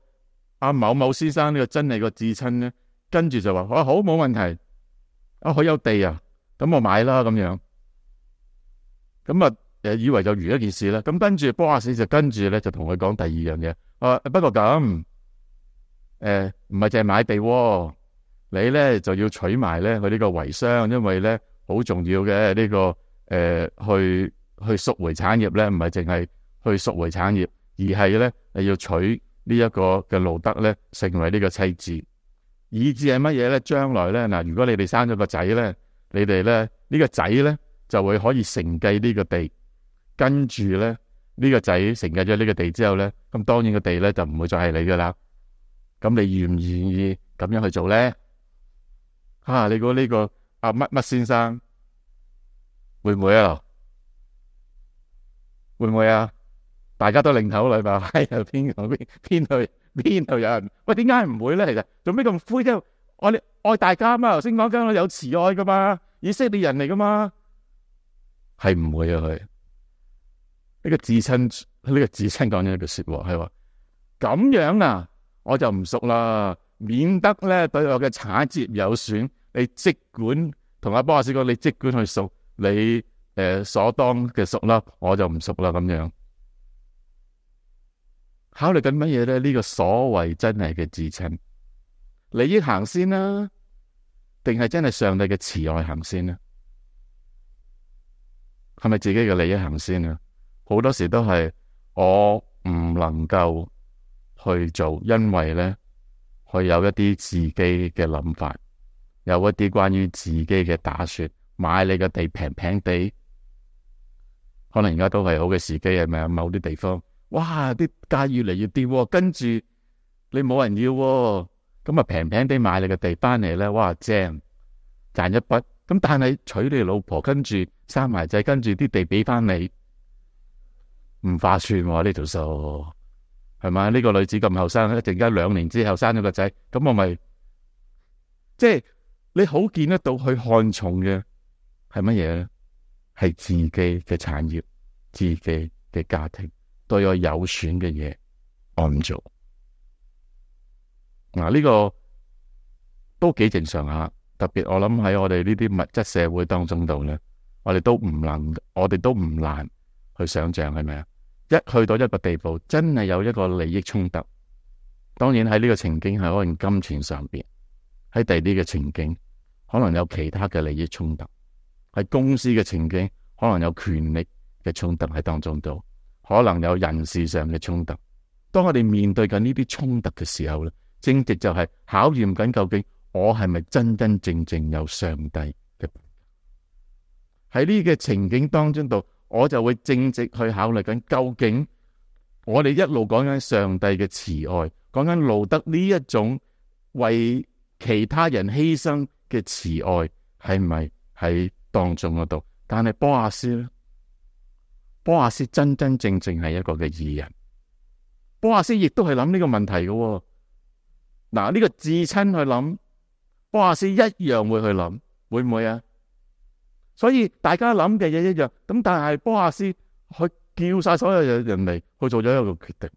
阿某某先生呢個真係個至親咧，跟住就話：啊好，冇問題，啊佢有地啊，咁我買啦咁樣。咁啊誒以為就如一件事啦。咁跟住波亞斯就跟住咧就同佢講第二樣嘢。啊不過咁誒唔係淨係買地喎，你咧就要取埋咧佢呢個遺孀，因為咧好重要嘅呢、這個誒、呃、去去贖回產業咧，唔係淨係去贖回產業，而係咧你要取。呢一個嘅路得咧，成為呢個妻子，以至係乜嘢咧？將來咧嗱，如果你哋生咗個仔咧，你哋咧呢、這個仔咧就會可以承繼呢個地，跟住咧呢、這個仔承繼咗呢個地之後咧，咁當然個地咧就唔會再係你噶啦。咁你願唔願意咁樣去做咧？啊，你估呢、這個阿乜乜先生會唔會啊？會唔會啊？大家都擰頭嚟吧，係啊，邊個邊邊度邊度有人？喂，點解唔會咧？其實做咩咁灰啫？我哋愛大家嘛，頭先講緊有慈愛噶嘛，以色列人嚟噶嘛，係唔會啊？佢呢、這個至親呢、這個至親講咗一句說話，係話咁樣啊，我就唔贖啦，免得咧對我嘅產業有損。你即管同阿波亞斯講，你即管去贖你誒、呃、所當嘅贖啦，我就唔贖啦咁樣。考慮緊乜嘢咧？呢、這個所謂真係嘅至親利益行先啦、啊，定係真係上帝嘅慈愛行先啦、啊？係咪自己嘅利益行先啊？好多時都係我唔能夠去做，因為咧佢有一啲自己嘅諗法，有一啲關於自己嘅打算，買你嘅地平平地，可能而家都係好嘅時機，係咪啊？某啲地方，哇，啲價越嚟越跌喎，跟住你冇人要喎，咁啊平平地買你嘅地翻嚟咧，哇正，賺一筆。咁但係娶你老婆，跟住生埋仔，跟住啲地俾翻你，唔划算喎呢條數，係咪？呢個女子咁後生，一陣間兩年之後生咗個仔，咁我咪即係你好見得到佢看重嘅係乜嘢咧？係自己嘅產業、自己嘅家庭，對我有損嘅嘢，我唔做。嗱，呢個都幾正常下。特別我諗喺我哋呢啲物質社會當中度咧，我哋都唔能，我哋都唔難去想象，係咪啊？一去到一個地步，真係有一個利益衝突。當然喺呢個情景係可能金錢上邊，喺第啲嘅情景可能有其他嘅利益衝突，喺公司嘅情景可能有權力嘅衝突喺當中度，可能有人事上嘅衝突。當我哋面對緊呢啲衝突嘅時候咧，正直就係考驗緊究竟我係咪真真正正有上帝嘅？喺呢個情景當中度，我就會正直去考慮緊究竟我哋一路講緊上帝嘅慈愛，講緊路德呢一種為其他人犧牲嘅慈愛係咪喺當中嗰度？但係波亞斯咧，波亞斯真真正正係一個嘅義人。波亞斯亦都係諗呢個問題嘅喎。嗱，呢個至親去諗，波亞斯一樣會去諗，會唔會啊？所以大家諗嘅嘢一樣，咁但係波亞斯去叫晒所有人嚟去做咗一個決定。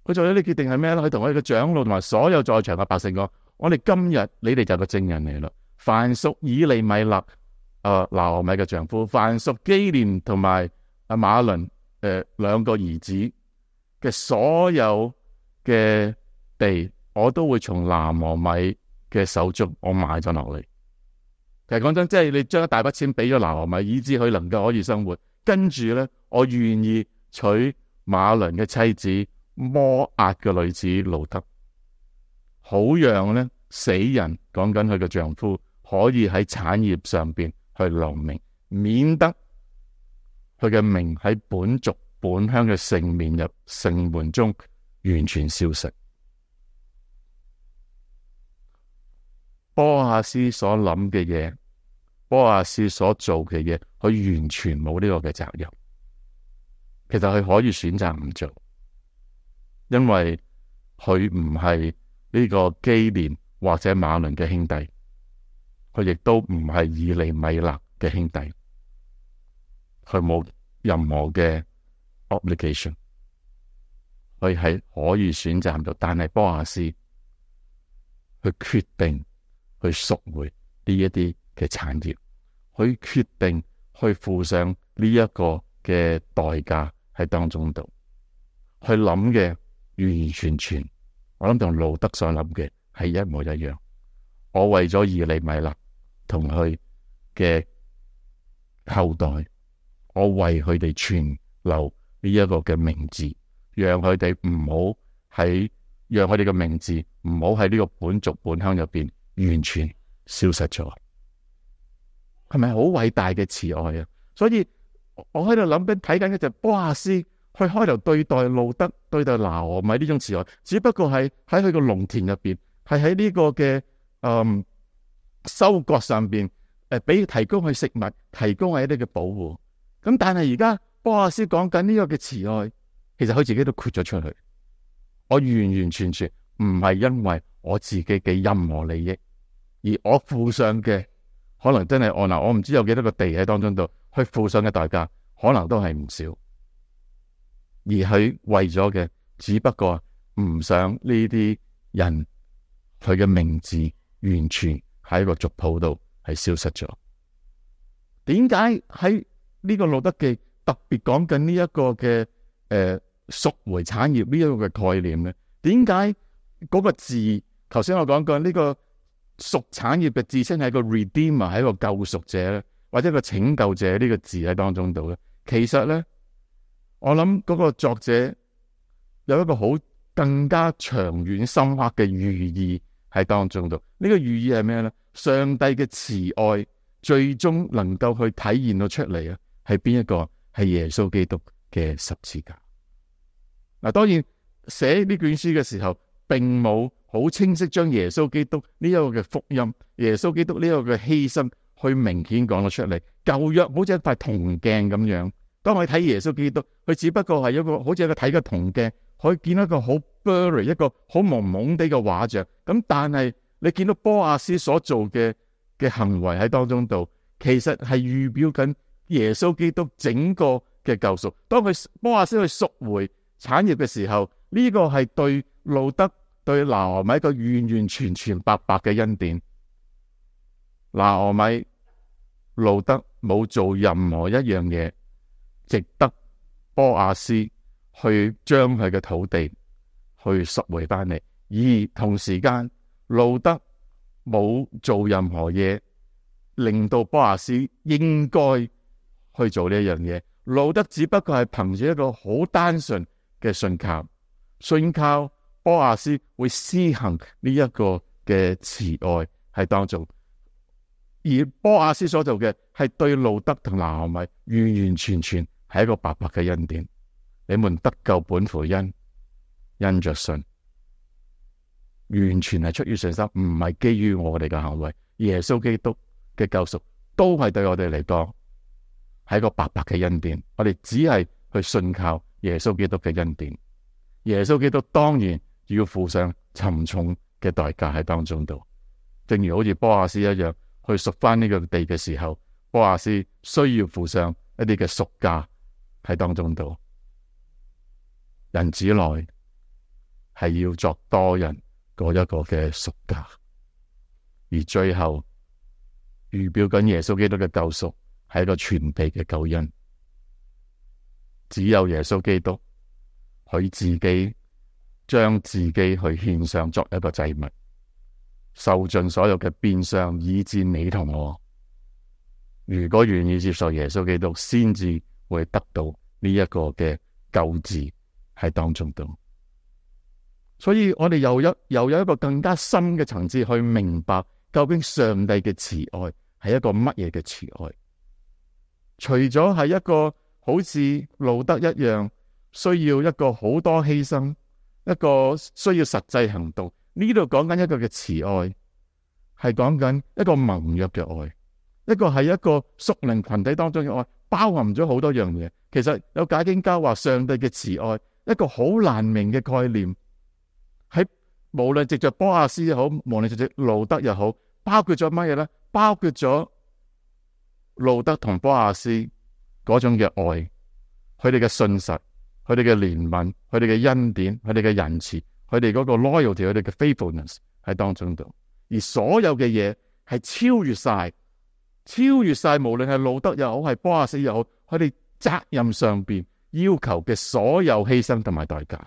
佢做咗呢決定係咩咧？佢同我哋嘅長老同埋所有在場嘅百姓講：我哋今日你哋就係個證人嚟啦。凡屬以利米勒、誒拿俄米嘅丈夫，凡屬基連同埋阿馬倫誒兩個兒子嘅所有嘅地，我都會從拿俄米嘅手中我買咗落嚟。其實講真，即係你將一大筆錢俾咗拿俄米，以致佢能夠可以生活。跟住咧，我願意娶馬倫嘅妻子摩押嘅女子路德，好讓咧死人講緊佢嘅丈夫可以喺產業上邊去留名，免得佢嘅名喺本族本鄉嘅城面入城門中完全消失。波亞斯所諗嘅嘢，波亞斯所做嘅嘢，佢完全冇呢個嘅責任。其實佢可以選擇唔做，因為佢唔係呢個基連或者馬倫嘅兄弟，佢亦都唔係以利米勒嘅兄弟，佢冇任何嘅 obligation， 佢係可以選擇唔做。但係波亞斯佢決定去贖回呢一啲嘅產業，佢決定去付上呢一個嘅代價喺當中度，去諗嘅完完全全，我諗同路德所諗嘅係一模一樣。我為咗以利米勒同佢嘅後代，我為佢哋存留呢一個嘅名字，讓佢哋唔好喺，讓佢哋嘅名字唔好喺呢個本族本鄉入邊完全消失咗。係咪好偉大嘅慈愛啊？所以我喺度諗緊睇緊嘅就係波亞斯去開頭對待路德、對待拿俄米呢種慈愛，只不過係喺佢個農田入邊，係喺呢個嘅嗯收割上邊誒，俾提供佢食物，提供佢一啲嘅保護。咁但係而家波亞斯講緊呢個嘅慈愛，其實佢自己都豁咗出去。我完完全全唔係因為我自己嘅任何利益，而我付上嘅可能真係我嗱，我唔知有幾多個地喺當中度去付上嘅代價，可能都係唔少。而佢為咗嘅，只不過唔想呢啲人佢嘅名字完全喺個族譜度係消失咗。點解喺呢個路德記特別講緊呢一個嘅誒贖回產業呢一個嘅概念咧？點解嗰個字頭先我講過呢個贖產業嘅字稱係個 redeemer， 係一個救贖者咧，或者一個拯救者呢個字喺當中度咧？其實咧，我諗嗰個作者有一個好更加長遠深刻嘅寓意喺當中度。呢個寓意係咩咧？上帝嘅慈愛最終能夠去體現到出嚟啊，係邊一個？係耶穌基督嘅十字架。嗱，當然寫呢卷書嘅時候，並冇好清晰將耶穌基督呢一個嘅福音、耶穌基督呢一個嘅犧牲去明顯講咗出嚟。舊約好似一塊銅鏡咁樣，當我哋睇耶穌基督，佢只不過係一個好似一個睇嘅銅鏡，可以見到一個好 blurry、一個好朦朦地嘅畫像。咁但係你見到波亞斯所做嘅嘅行為喺當中度，其實係預表緊耶穌基督整個嘅救贖。當佢波亞斯去贖回產業嘅時候，呢、這個係對路德對拿俄米一個完完全全白白嘅恩典。拿俄米、路德冇做任何一樣嘢值得波亞斯去將佢嘅土地去贖回翻嚟，而同時間路德冇做任何嘢令到波亞斯應該去做呢一樣嘢。路德只不過係憑住一個好單純嘅信靠，信靠波亞斯會施行呢一個嘅慈愛喺當中，而波亞斯所做嘅係對路德同拿俄米完完全全係一個白白嘅恩典。你們得救本乎恩，因着信，完全係出於信心，唔係基於我哋嘅行為。耶穌基督嘅救贖都係對我哋嚟講係一個白白嘅恩典，我哋只係去信靠耶穌基督嘅恩典。耶穌基督當然要付上沉重嘅代價喺當中度，正如好似波亞斯一樣，去贖翻呢個地嘅時候，波亞斯需要付上一啲嘅贖價喺當中度。人子來係要作多人嗰一個嘅贖價，而最後預表緊耶穌基督嘅救贖係一個全備嘅救恩。只有耶穌基督佢自己將自己去獻上作一個祭物，受盡所有嘅變相，以致你同我如果願意接受耶穌基督，先至會得到呢一個嘅救治喺當中度。所以我哋又有又有一個更加深嘅層次去明白，究竟上帝嘅慈愛係一個乜嘢嘅慈愛。除咗係一個好似路德一樣需要一個好多犧牲，一個需要實際行動，呢度講緊一個嘅慈愛，係講緊一個盟約嘅愛，一個係一個屬靈群體當中嘅愛，包含咗好多樣嘢。其實有解經家話，上帝嘅慈愛一個好難明嘅概念，喺無論藉着波亞斯又好，無論藉着路德又好，包括咗乜嘢咧？包括咗路德同波亞斯嗰種嘅愛，佢哋嘅信實，佢哋嘅憐憫，佢哋嘅恩典，佢哋嘅仁慈，佢哋嗰個 loyalty，佢哋嘅 faithfulness 喺當中度。而所有嘅嘢係超越晒，超越晒，無論係路德又好，係波亞斯又好，佢哋責任上邊要求嘅所有犧牲同埋代價。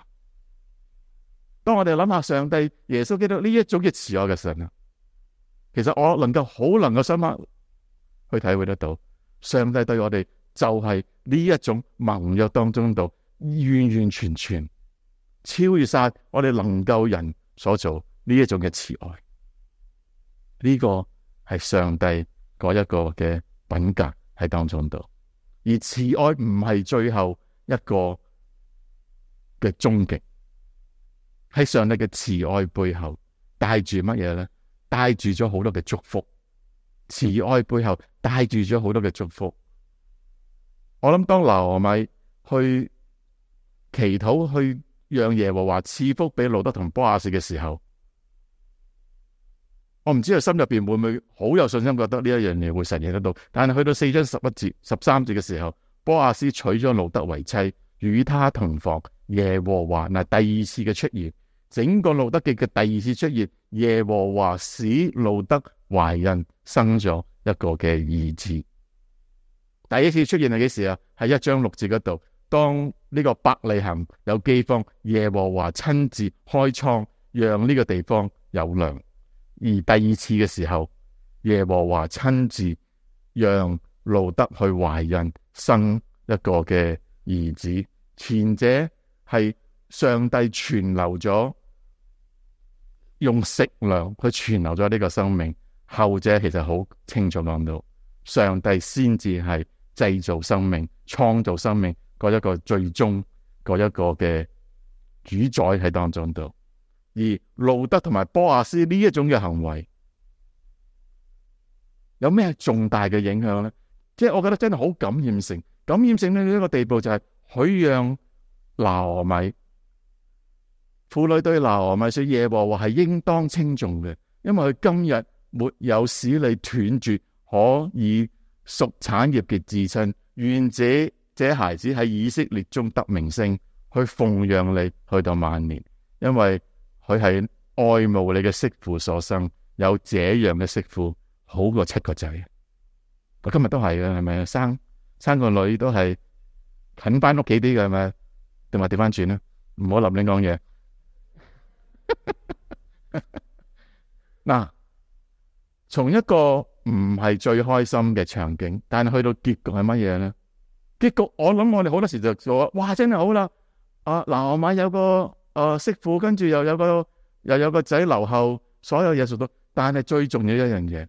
當我哋諗下上帝耶穌基督呢一種嘅慈愛嘅神啊，其實我能夠好能夠深刻去體會得到，上帝對我哋就係呢一種盟約當中度完完全全超越晒我哋能夠人所做呢一種嘅慈愛。呢個係上帝嗰一個嘅品格喺當中度，而慈愛唔係最後一個嘅終極。喺上帝嘅慈愛背後帶住乜嘢咧？帶住咗好多嘅祝福。慈愛背後帶住咗好多嘅祝福。我諗當拿俄米去祈禱，去讓耶和華賜福俾路德同波亞斯嘅時候，我唔知佢心入邊會唔會好有信心，覺得呢一樣嘢會實現得到。但係去到四章十一節、十三節嘅時候，波亞斯娶咗路德為妻，與他同房。耶和華嗱，第二次嘅出現，整個路德記嘅第二次出現，耶和華使路德懷孕，生咗一個嘅兒子。第一次出現係幾時啊？喺一章六節嗰度，當呢個伯利恆有饑荒，耶和華親自開倉，讓呢個地方有糧。而第二次嘅時候，耶和華親自讓路德去懷孕，生一個嘅兒子。前者係上帝存留咗，用食糧去存留咗呢個生命。後者其實好清楚講到，上帝先至係製造生命、創造生命嗰一個最終嗰一個嘅主宰喺當中度。而路德同埋波亞斯呢一種嘅行為，有咩重大嘅影響咧？即係我覺得真係好感染性，感染性呢一個地步就係許讓拿俄米婦女對拿俄米說，耶和華係應當稱頌嘅，因為佢今日沒有使你斷絕可以屬產業嘅至親，願這這孩子喺以色列中得名聲，去奉養你去到晚年，因為佢係愛慕你嘅媳婦所生，有這樣嘅媳婦好過七個仔。我今日都係嘅，係咪？生生個女都係近翻屋企啲嘅，係咪？定話調翻轉咧？唔好立亂講嘢。嗱，從一個唔係最開心嘅場景，但係去到結局係乜嘢咧？結局我諗我哋好多時就做，哇！真係好啦，啊嗱，我買有個誒媳婦，跟住又有個又有個仔留後，所有嘢做到，但係最重要一樣嘢。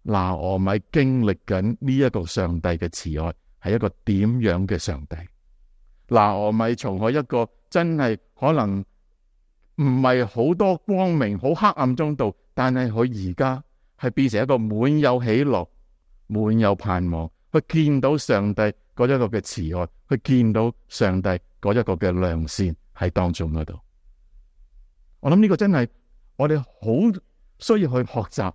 拿俄米經歷緊呢一個上帝嘅慈愛，係一個點樣嘅上帝？拿俄米從佢一個真係可能唔係好多光明、好黑暗中度，但係佢而家係變成一個滿有喜樂、滿有盼望，去見到上帝嗰一個嘅慈愛，去見到上帝嗰一個嘅良善喺當中嗰度。我諗呢個真係我哋好需要去學習。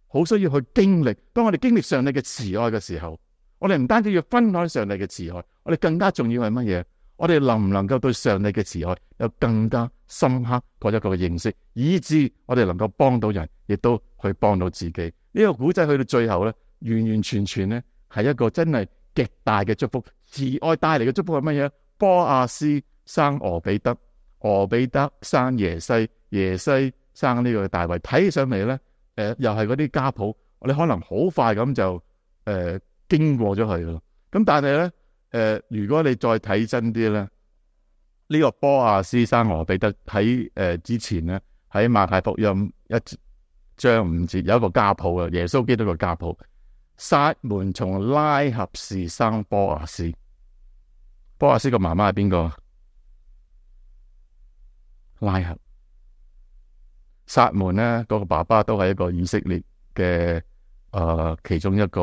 好需要去經歷，當我哋經歷上帝嘅慈愛嘅時候，我哋唔單止要分享上帝嘅慈愛，我哋更加重要係乜嘢？我哋能唔能夠對上帝嘅慈愛有更加深刻嗰一個嘅認識，以致我哋能夠幫到人，亦都去幫到自己。呢、這個古仔去到最後咧，完完全全咧係一個真係極大嘅祝福。慈愛帶嚟嘅祝福係乜嘢？波亞斯生俄比德，俄比德生耶西，耶西生呢個大衛。睇起上嚟咧。誒、呃，又係嗰啲家譜，我哋可能好快咁就誒、呃、經過咗佢咯。咁但係咧，誒、呃，如果你再睇真啲咧，呢、這個波亞斯生俄比德喺誒、呃、之前咧，喺馬太福音一章五節有一個家譜啊，耶穌基督嘅家譜。撒門從拉合氏生波亞斯，波亞斯個媽媽係邊個？拉合。撒門咧，嗰、那個爸爸都係一個以色列嘅誒、呃，其中一個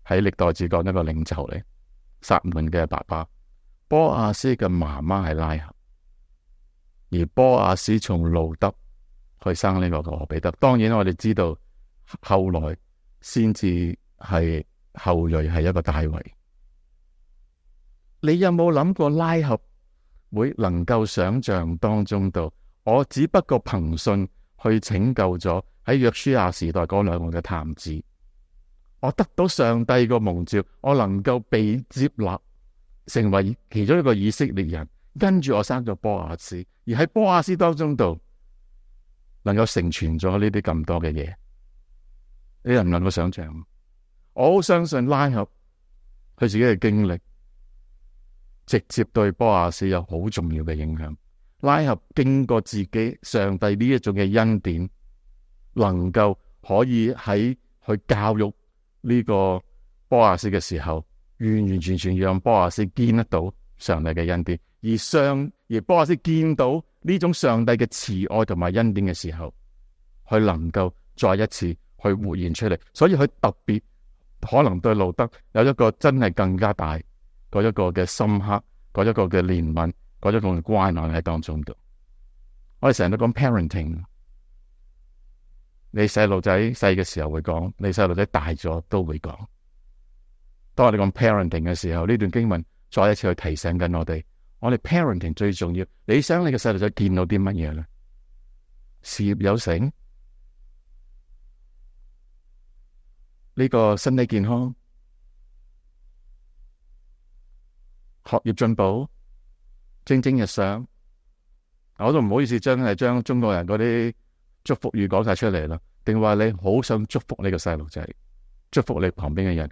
喺歷代志講一個領袖嚟。撒門嘅爸爸，波亞斯嘅媽媽係拉合，而波亞斯從路德去生呢個俄比德。當然我哋知道後來先至係後裔係一個大衛。你有冇諗過拉合會能夠想象當中度？我只不過憑信。去拯救咗喺約書亞時代嗰兩個嘅探子，我得到上帝個蒙召，我能夠被接納成為其中一個以色列人，跟住我生咗波亞斯，而喺波亞斯當中度能夠成全咗呢啲咁多嘅嘢，你能唔能夠想象？我好相信拉合佢自己嘅經歷，直接對波亞斯有好重要嘅影響。拉合經過自己上帝呢一種嘅恩典，能夠可以喺去教育呢個波亞斯嘅時候，完完全全讓波亞斯見得到上帝嘅恩典，而上而波亞斯見到呢種上帝嘅慈愛同埋恩典嘅時候，佢能夠再一次去活現出嚟，所以佢特別可能對路德有一個真係更加大嗰一個嘅深刻，嗰一個嘅憐憫。嗰種咁嘅關愛喺當中度，我哋成日都講 parenting。你細路仔細嘅時候會講，你細路仔大咗都會講。當我哋講 parenting 嘅時候，呢段經文再一次去提醒緊我哋，我哋 parenting 最重要。你想你嘅細路仔見到啲乜嘢咧？事業有成，呢個身體健康，學業進步。蒸蒸日上，我都唔好意思將係將中國人嗰啲祝福語講晒出嚟啦。定話你好想祝福呢個細路仔，祝福你旁邊嘅人，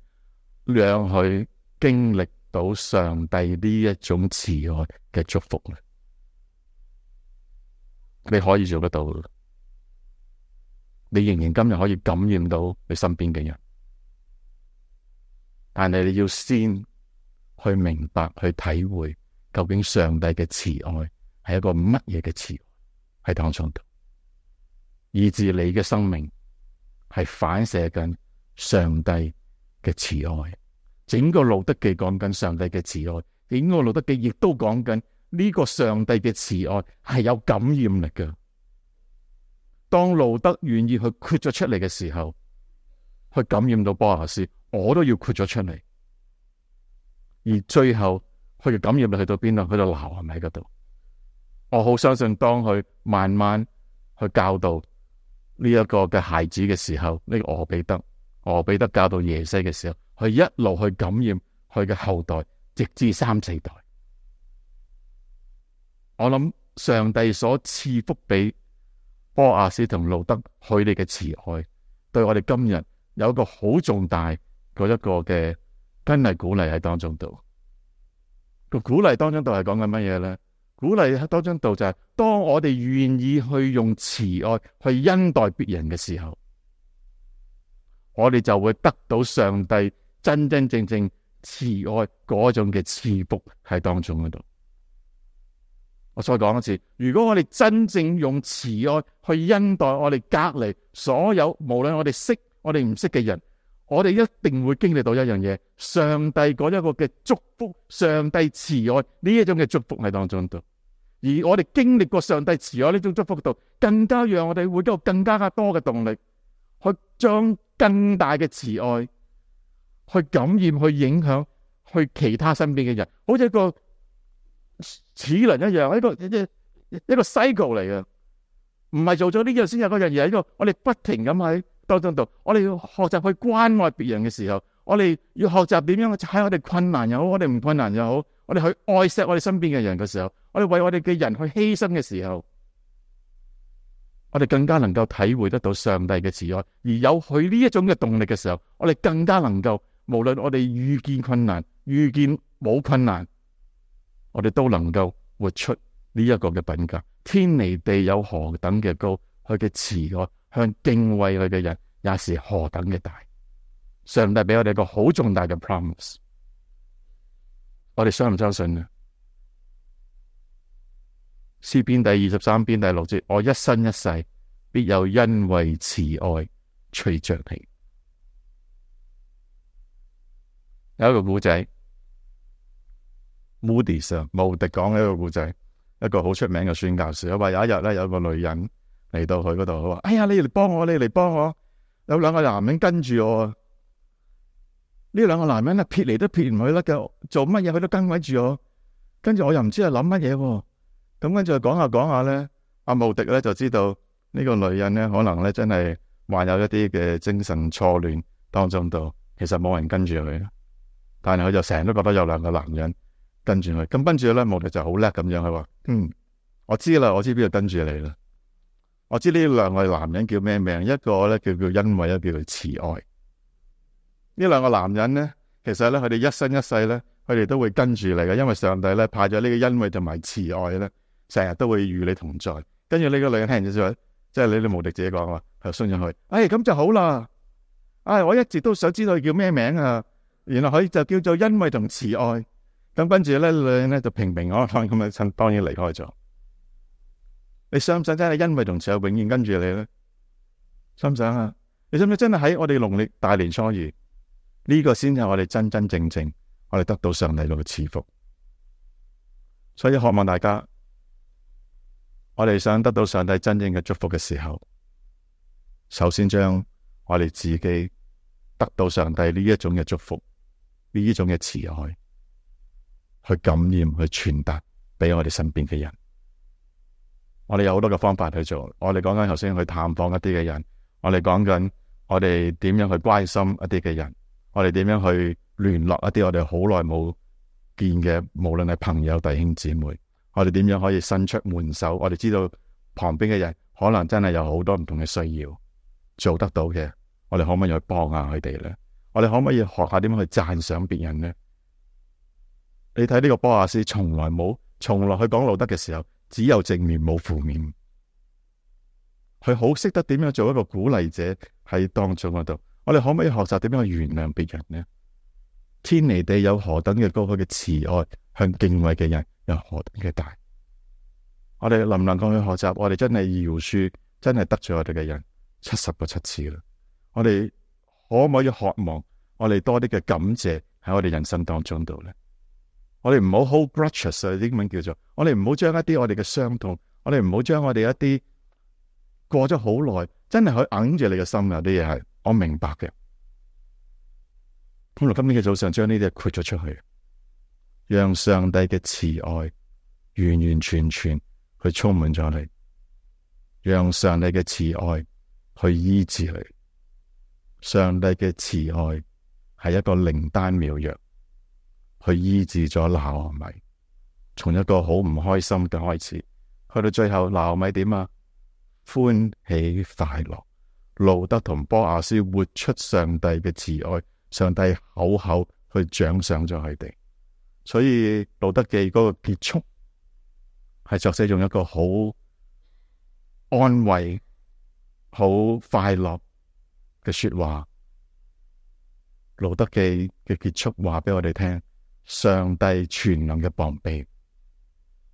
讓佢經歷到上帝呢一種慈愛嘅祝福咧。你可以做得到，你仍然今日可以感染到你身邊嘅人。但係你要先去明白、去體會，究竟上帝嘅慈愛係一個乜嘢嘅慈愛喺當中度，以致你嘅生命係反射緊上帝嘅慈愛。整個路德記講緊上帝嘅慈愛，整個路德記亦都講緊呢個上帝嘅慈愛係有感染力嘅。當路德願意去豁咗出嚟嘅時候，去感染到波阿斯，我都要豁咗出嚟。而最後佢嘅感染力去到邊度？去到拿俄米嗰度。我好相信當佢慢慢去教導呢一個嘅孩子嘅時候，呢、這個俄比德，俄比德教導耶西嘅時候，佢一路去感染佢嘅後代，直至三四代。我諗上帝所賜福俾波阿斯同路德佢哋嘅慈愛，對我哋今日有一個好重大嗰一個嘅真係鼓勵喺當中度。個鼓勵當中度係講緊乜嘢咧？鼓勵喺當中度就係、是、當我哋願意去用慈愛去恩待別人嘅時候，我哋就會得到上帝真真正正慈愛嗰種嘅賜福喺當中嗰度。我再講一次，如果我哋真正用慈愛去恩待我哋隔籬所有，無論我哋識我哋唔識嘅人，我哋一定會經歷到一樣嘢，上帝嗰一個嘅祝福，上帝慈愛呢一種嘅祝福喺當中度。而我哋經歷過上帝慈愛呢種祝福度，更加讓我哋會有更加加多嘅動力，去將更大嘅慈愛去感染、去影響、去其他身邊嘅人，好似一個齒輪一樣，一個一個一個 cycle 嚟嘅，唔係做咗呢樣先有嗰樣嘢，一個我哋不停咁喺當中度，我哋要學習去關愛別人嘅時候，我哋要學習點樣喺我哋困難又好，我哋唔困難又好，我哋去愛錫我哋身邊嘅人嘅時候，我哋為我哋嘅人去犧牲嘅時候，我哋更加能夠體會得到上帝嘅慈愛，而有佢呢一種嘅動力嘅時候，我哋更加能夠，無論我哋遇見困難、遇見冇困難，我哋都能夠活出呢一個嘅品格。天離地有何等嘅高，佢嘅慈愛向敬畏佢嘅人也是何等嘅大。上帝俾我哋一個好重大嘅 promise， 我哋相唔相信呢？詩篇第二十三篇第六節，我一生一世必有恩惠慈愛隨着你。有一個古仔，Moody Sir 穆迪講嘅一個故仔，一個好出名嘅宣教士。佢話有一日咧，有個女人嚟到佢嗰度，佢話：哎呀，你嚟幫我，你嚟幫我，有兩個男人跟住我。呢兩個男人咧撇嚟都撇唔去啦，嘅做乜嘢佢都跟緊住我。跟住我又唔知係諗乜嘢。咁跟住講下講下咧，阿穆迪咧就知道呢個女人咧可能咧真係患有一啲嘅精神錯亂當中度，其實冇人跟住佢，但係佢就成日都覺得有兩個男人跟住佢。咁跟住咧，穆迪就好叻咁樣，佢話：嗯，我知啦，我知邊度跟住你啦。我知呢兩個男人叫咩名？一個咧叫叫恩惠，一個叫做慈愛。呢兩個男人咧，其實咧佢哋一生一世咧，佢哋都會跟住你嘅，因為上帝咧派咗呢個恩惠同埋慈愛咧，成日都會與你同在。跟住呢個女人聽完就話，即係你哋無敵自己講話，就信咗佢。哎，咁就好啦。哎，我一直都想知道佢叫咩名啊。原來佢就叫做恩惠同慈愛。咁跟住咧，女人咧就平平安安咁樣，當然離開咗。你想唔想真係恩惠同慈愛永遠跟住你咧？想唔想啊？你想唔想真係喺我哋農曆大年初二呢、這個先係我哋真真正正我哋得到上帝嘅賜福？所以渴望大家，我哋想得到上帝真正嘅祝福嘅時候，首先將我哋自己得到上帝呢一種嘅祝福，呢一種嘅慈愛，去感染、去傳達俾我哋身邊嘅人。我哋有好多嘅方法去做。我哋講緊頭先去探訪一啲嘅人，我哋講緊我哋點樣去關心一啲嘅人，我哋點樣去聯絡一啲我哋好耐冇見嘅，無論係朋友、弟兄姊妹，我哋點樣可以伸出援手？我哋知道旁邊嘅人可能真係有好多唔同嘅需要，做得到嘅，我哋可唔可以去幫下佢哋咧？我哋可唔可以學下點樣去讚賞別人咧？你睇呢個波亞斯，從來冇，從來去講路德嘅時候，只有正面冇負面。佢好識得點樣做一個鼓勵者喺當中嗰度。我哋可唔可以學習點樣去原諒別人呢？天離地有何等嘅高，佢嘅慈愛向敬畏嘅人有何等嘅大。我哋能唔能夠去學習？我哋真係饒恕，真係得罪我哋嘅人七十個七次啦。我哋可唔可以渴望我哋多啲嘅感謝喺我哋人生當中度咧？我哋唔好 hold grudges 啊，英文叫做，我哋唔好將一啲我哋嘅傷痛，我哋唔好將我哋一啲過咗好耐，真係可以揞住你嘅心，有啲嘢係我明白嘅。咁我今天嘅早上將呢啲嘢豁咗出去，讓上帝嘅慈愛完完全全去充滿咗你，讓上帝嘅慈愛去醫治你。上帝嘅慈愛係一個靈丹妙藥，去醫治咗拿俄米，從一個好唔開心嘅開始，去到最後拿俄米點啊？歡喜快樂。路得同波亞斯活出上帝嘅慈愛，上帝厚厚去獎賞咗佢哋。所以路得記嗰個結束係作者用一個好安慰、好快樂嘅說話。路得記嘅結束話俾我哋聽，上帝全能嘅膀臂，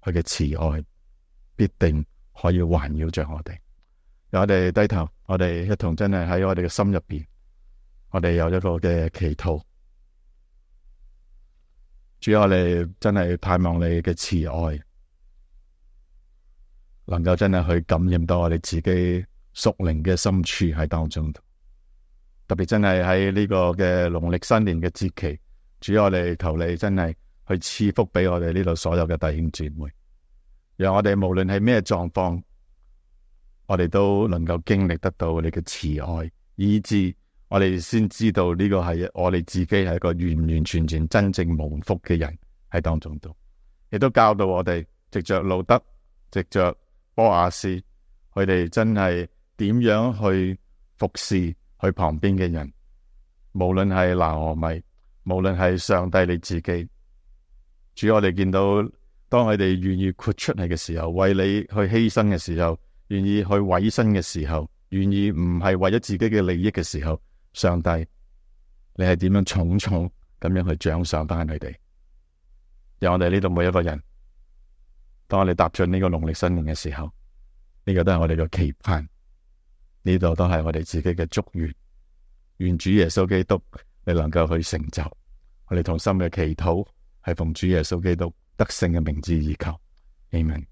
佢嘅慈愛必定可以環繞着我哋。由我哋低頭，我哋一同真係喺我哋嘅心入邊，我哋有一個嘅祈禱。主要我哋真係盼望你嘅慈愛，能夠真係去感染到我哋自己屬靈嘅深處喺當中。特別真係喺呢個嘅農曆新年嘅節期，主要我哋求你真係去賜福俾我哋呢度所有嘅弟兄姊妹，讓我哋無論係咩狀況，我哋都能夠經歷得到你嘅慈愛，以致我哋先知道呢個係我哋自己係一個完完全全真正蒙福嘅人喺當中度，亦都教導我哋藉着路得，藉着波亞斯，佢哋真係點樣去服侍佢旁邊嘅人，無論係拿俄米，無論係上帝你自己。主，我哋見到當佢哋願意豁出嚟嘅時候，為你去犧牲嘅時候，願意去委身嘅時候，願意唔係為咗自己嘅利益嘅時候，上帝你係點樣重重咁樣去獎賞翻佢哋？讓我哋呢度每一個人，當我哋踏進呢個農曆新年嘅時候，呢個都係我哋嘅期盼，呢度都係我哋自己嘅祝願。願主耶穌基督你能夠去成就，我哋同心嘅祈禱係奉主耶穌基督得勝嘅名字而求，阿們。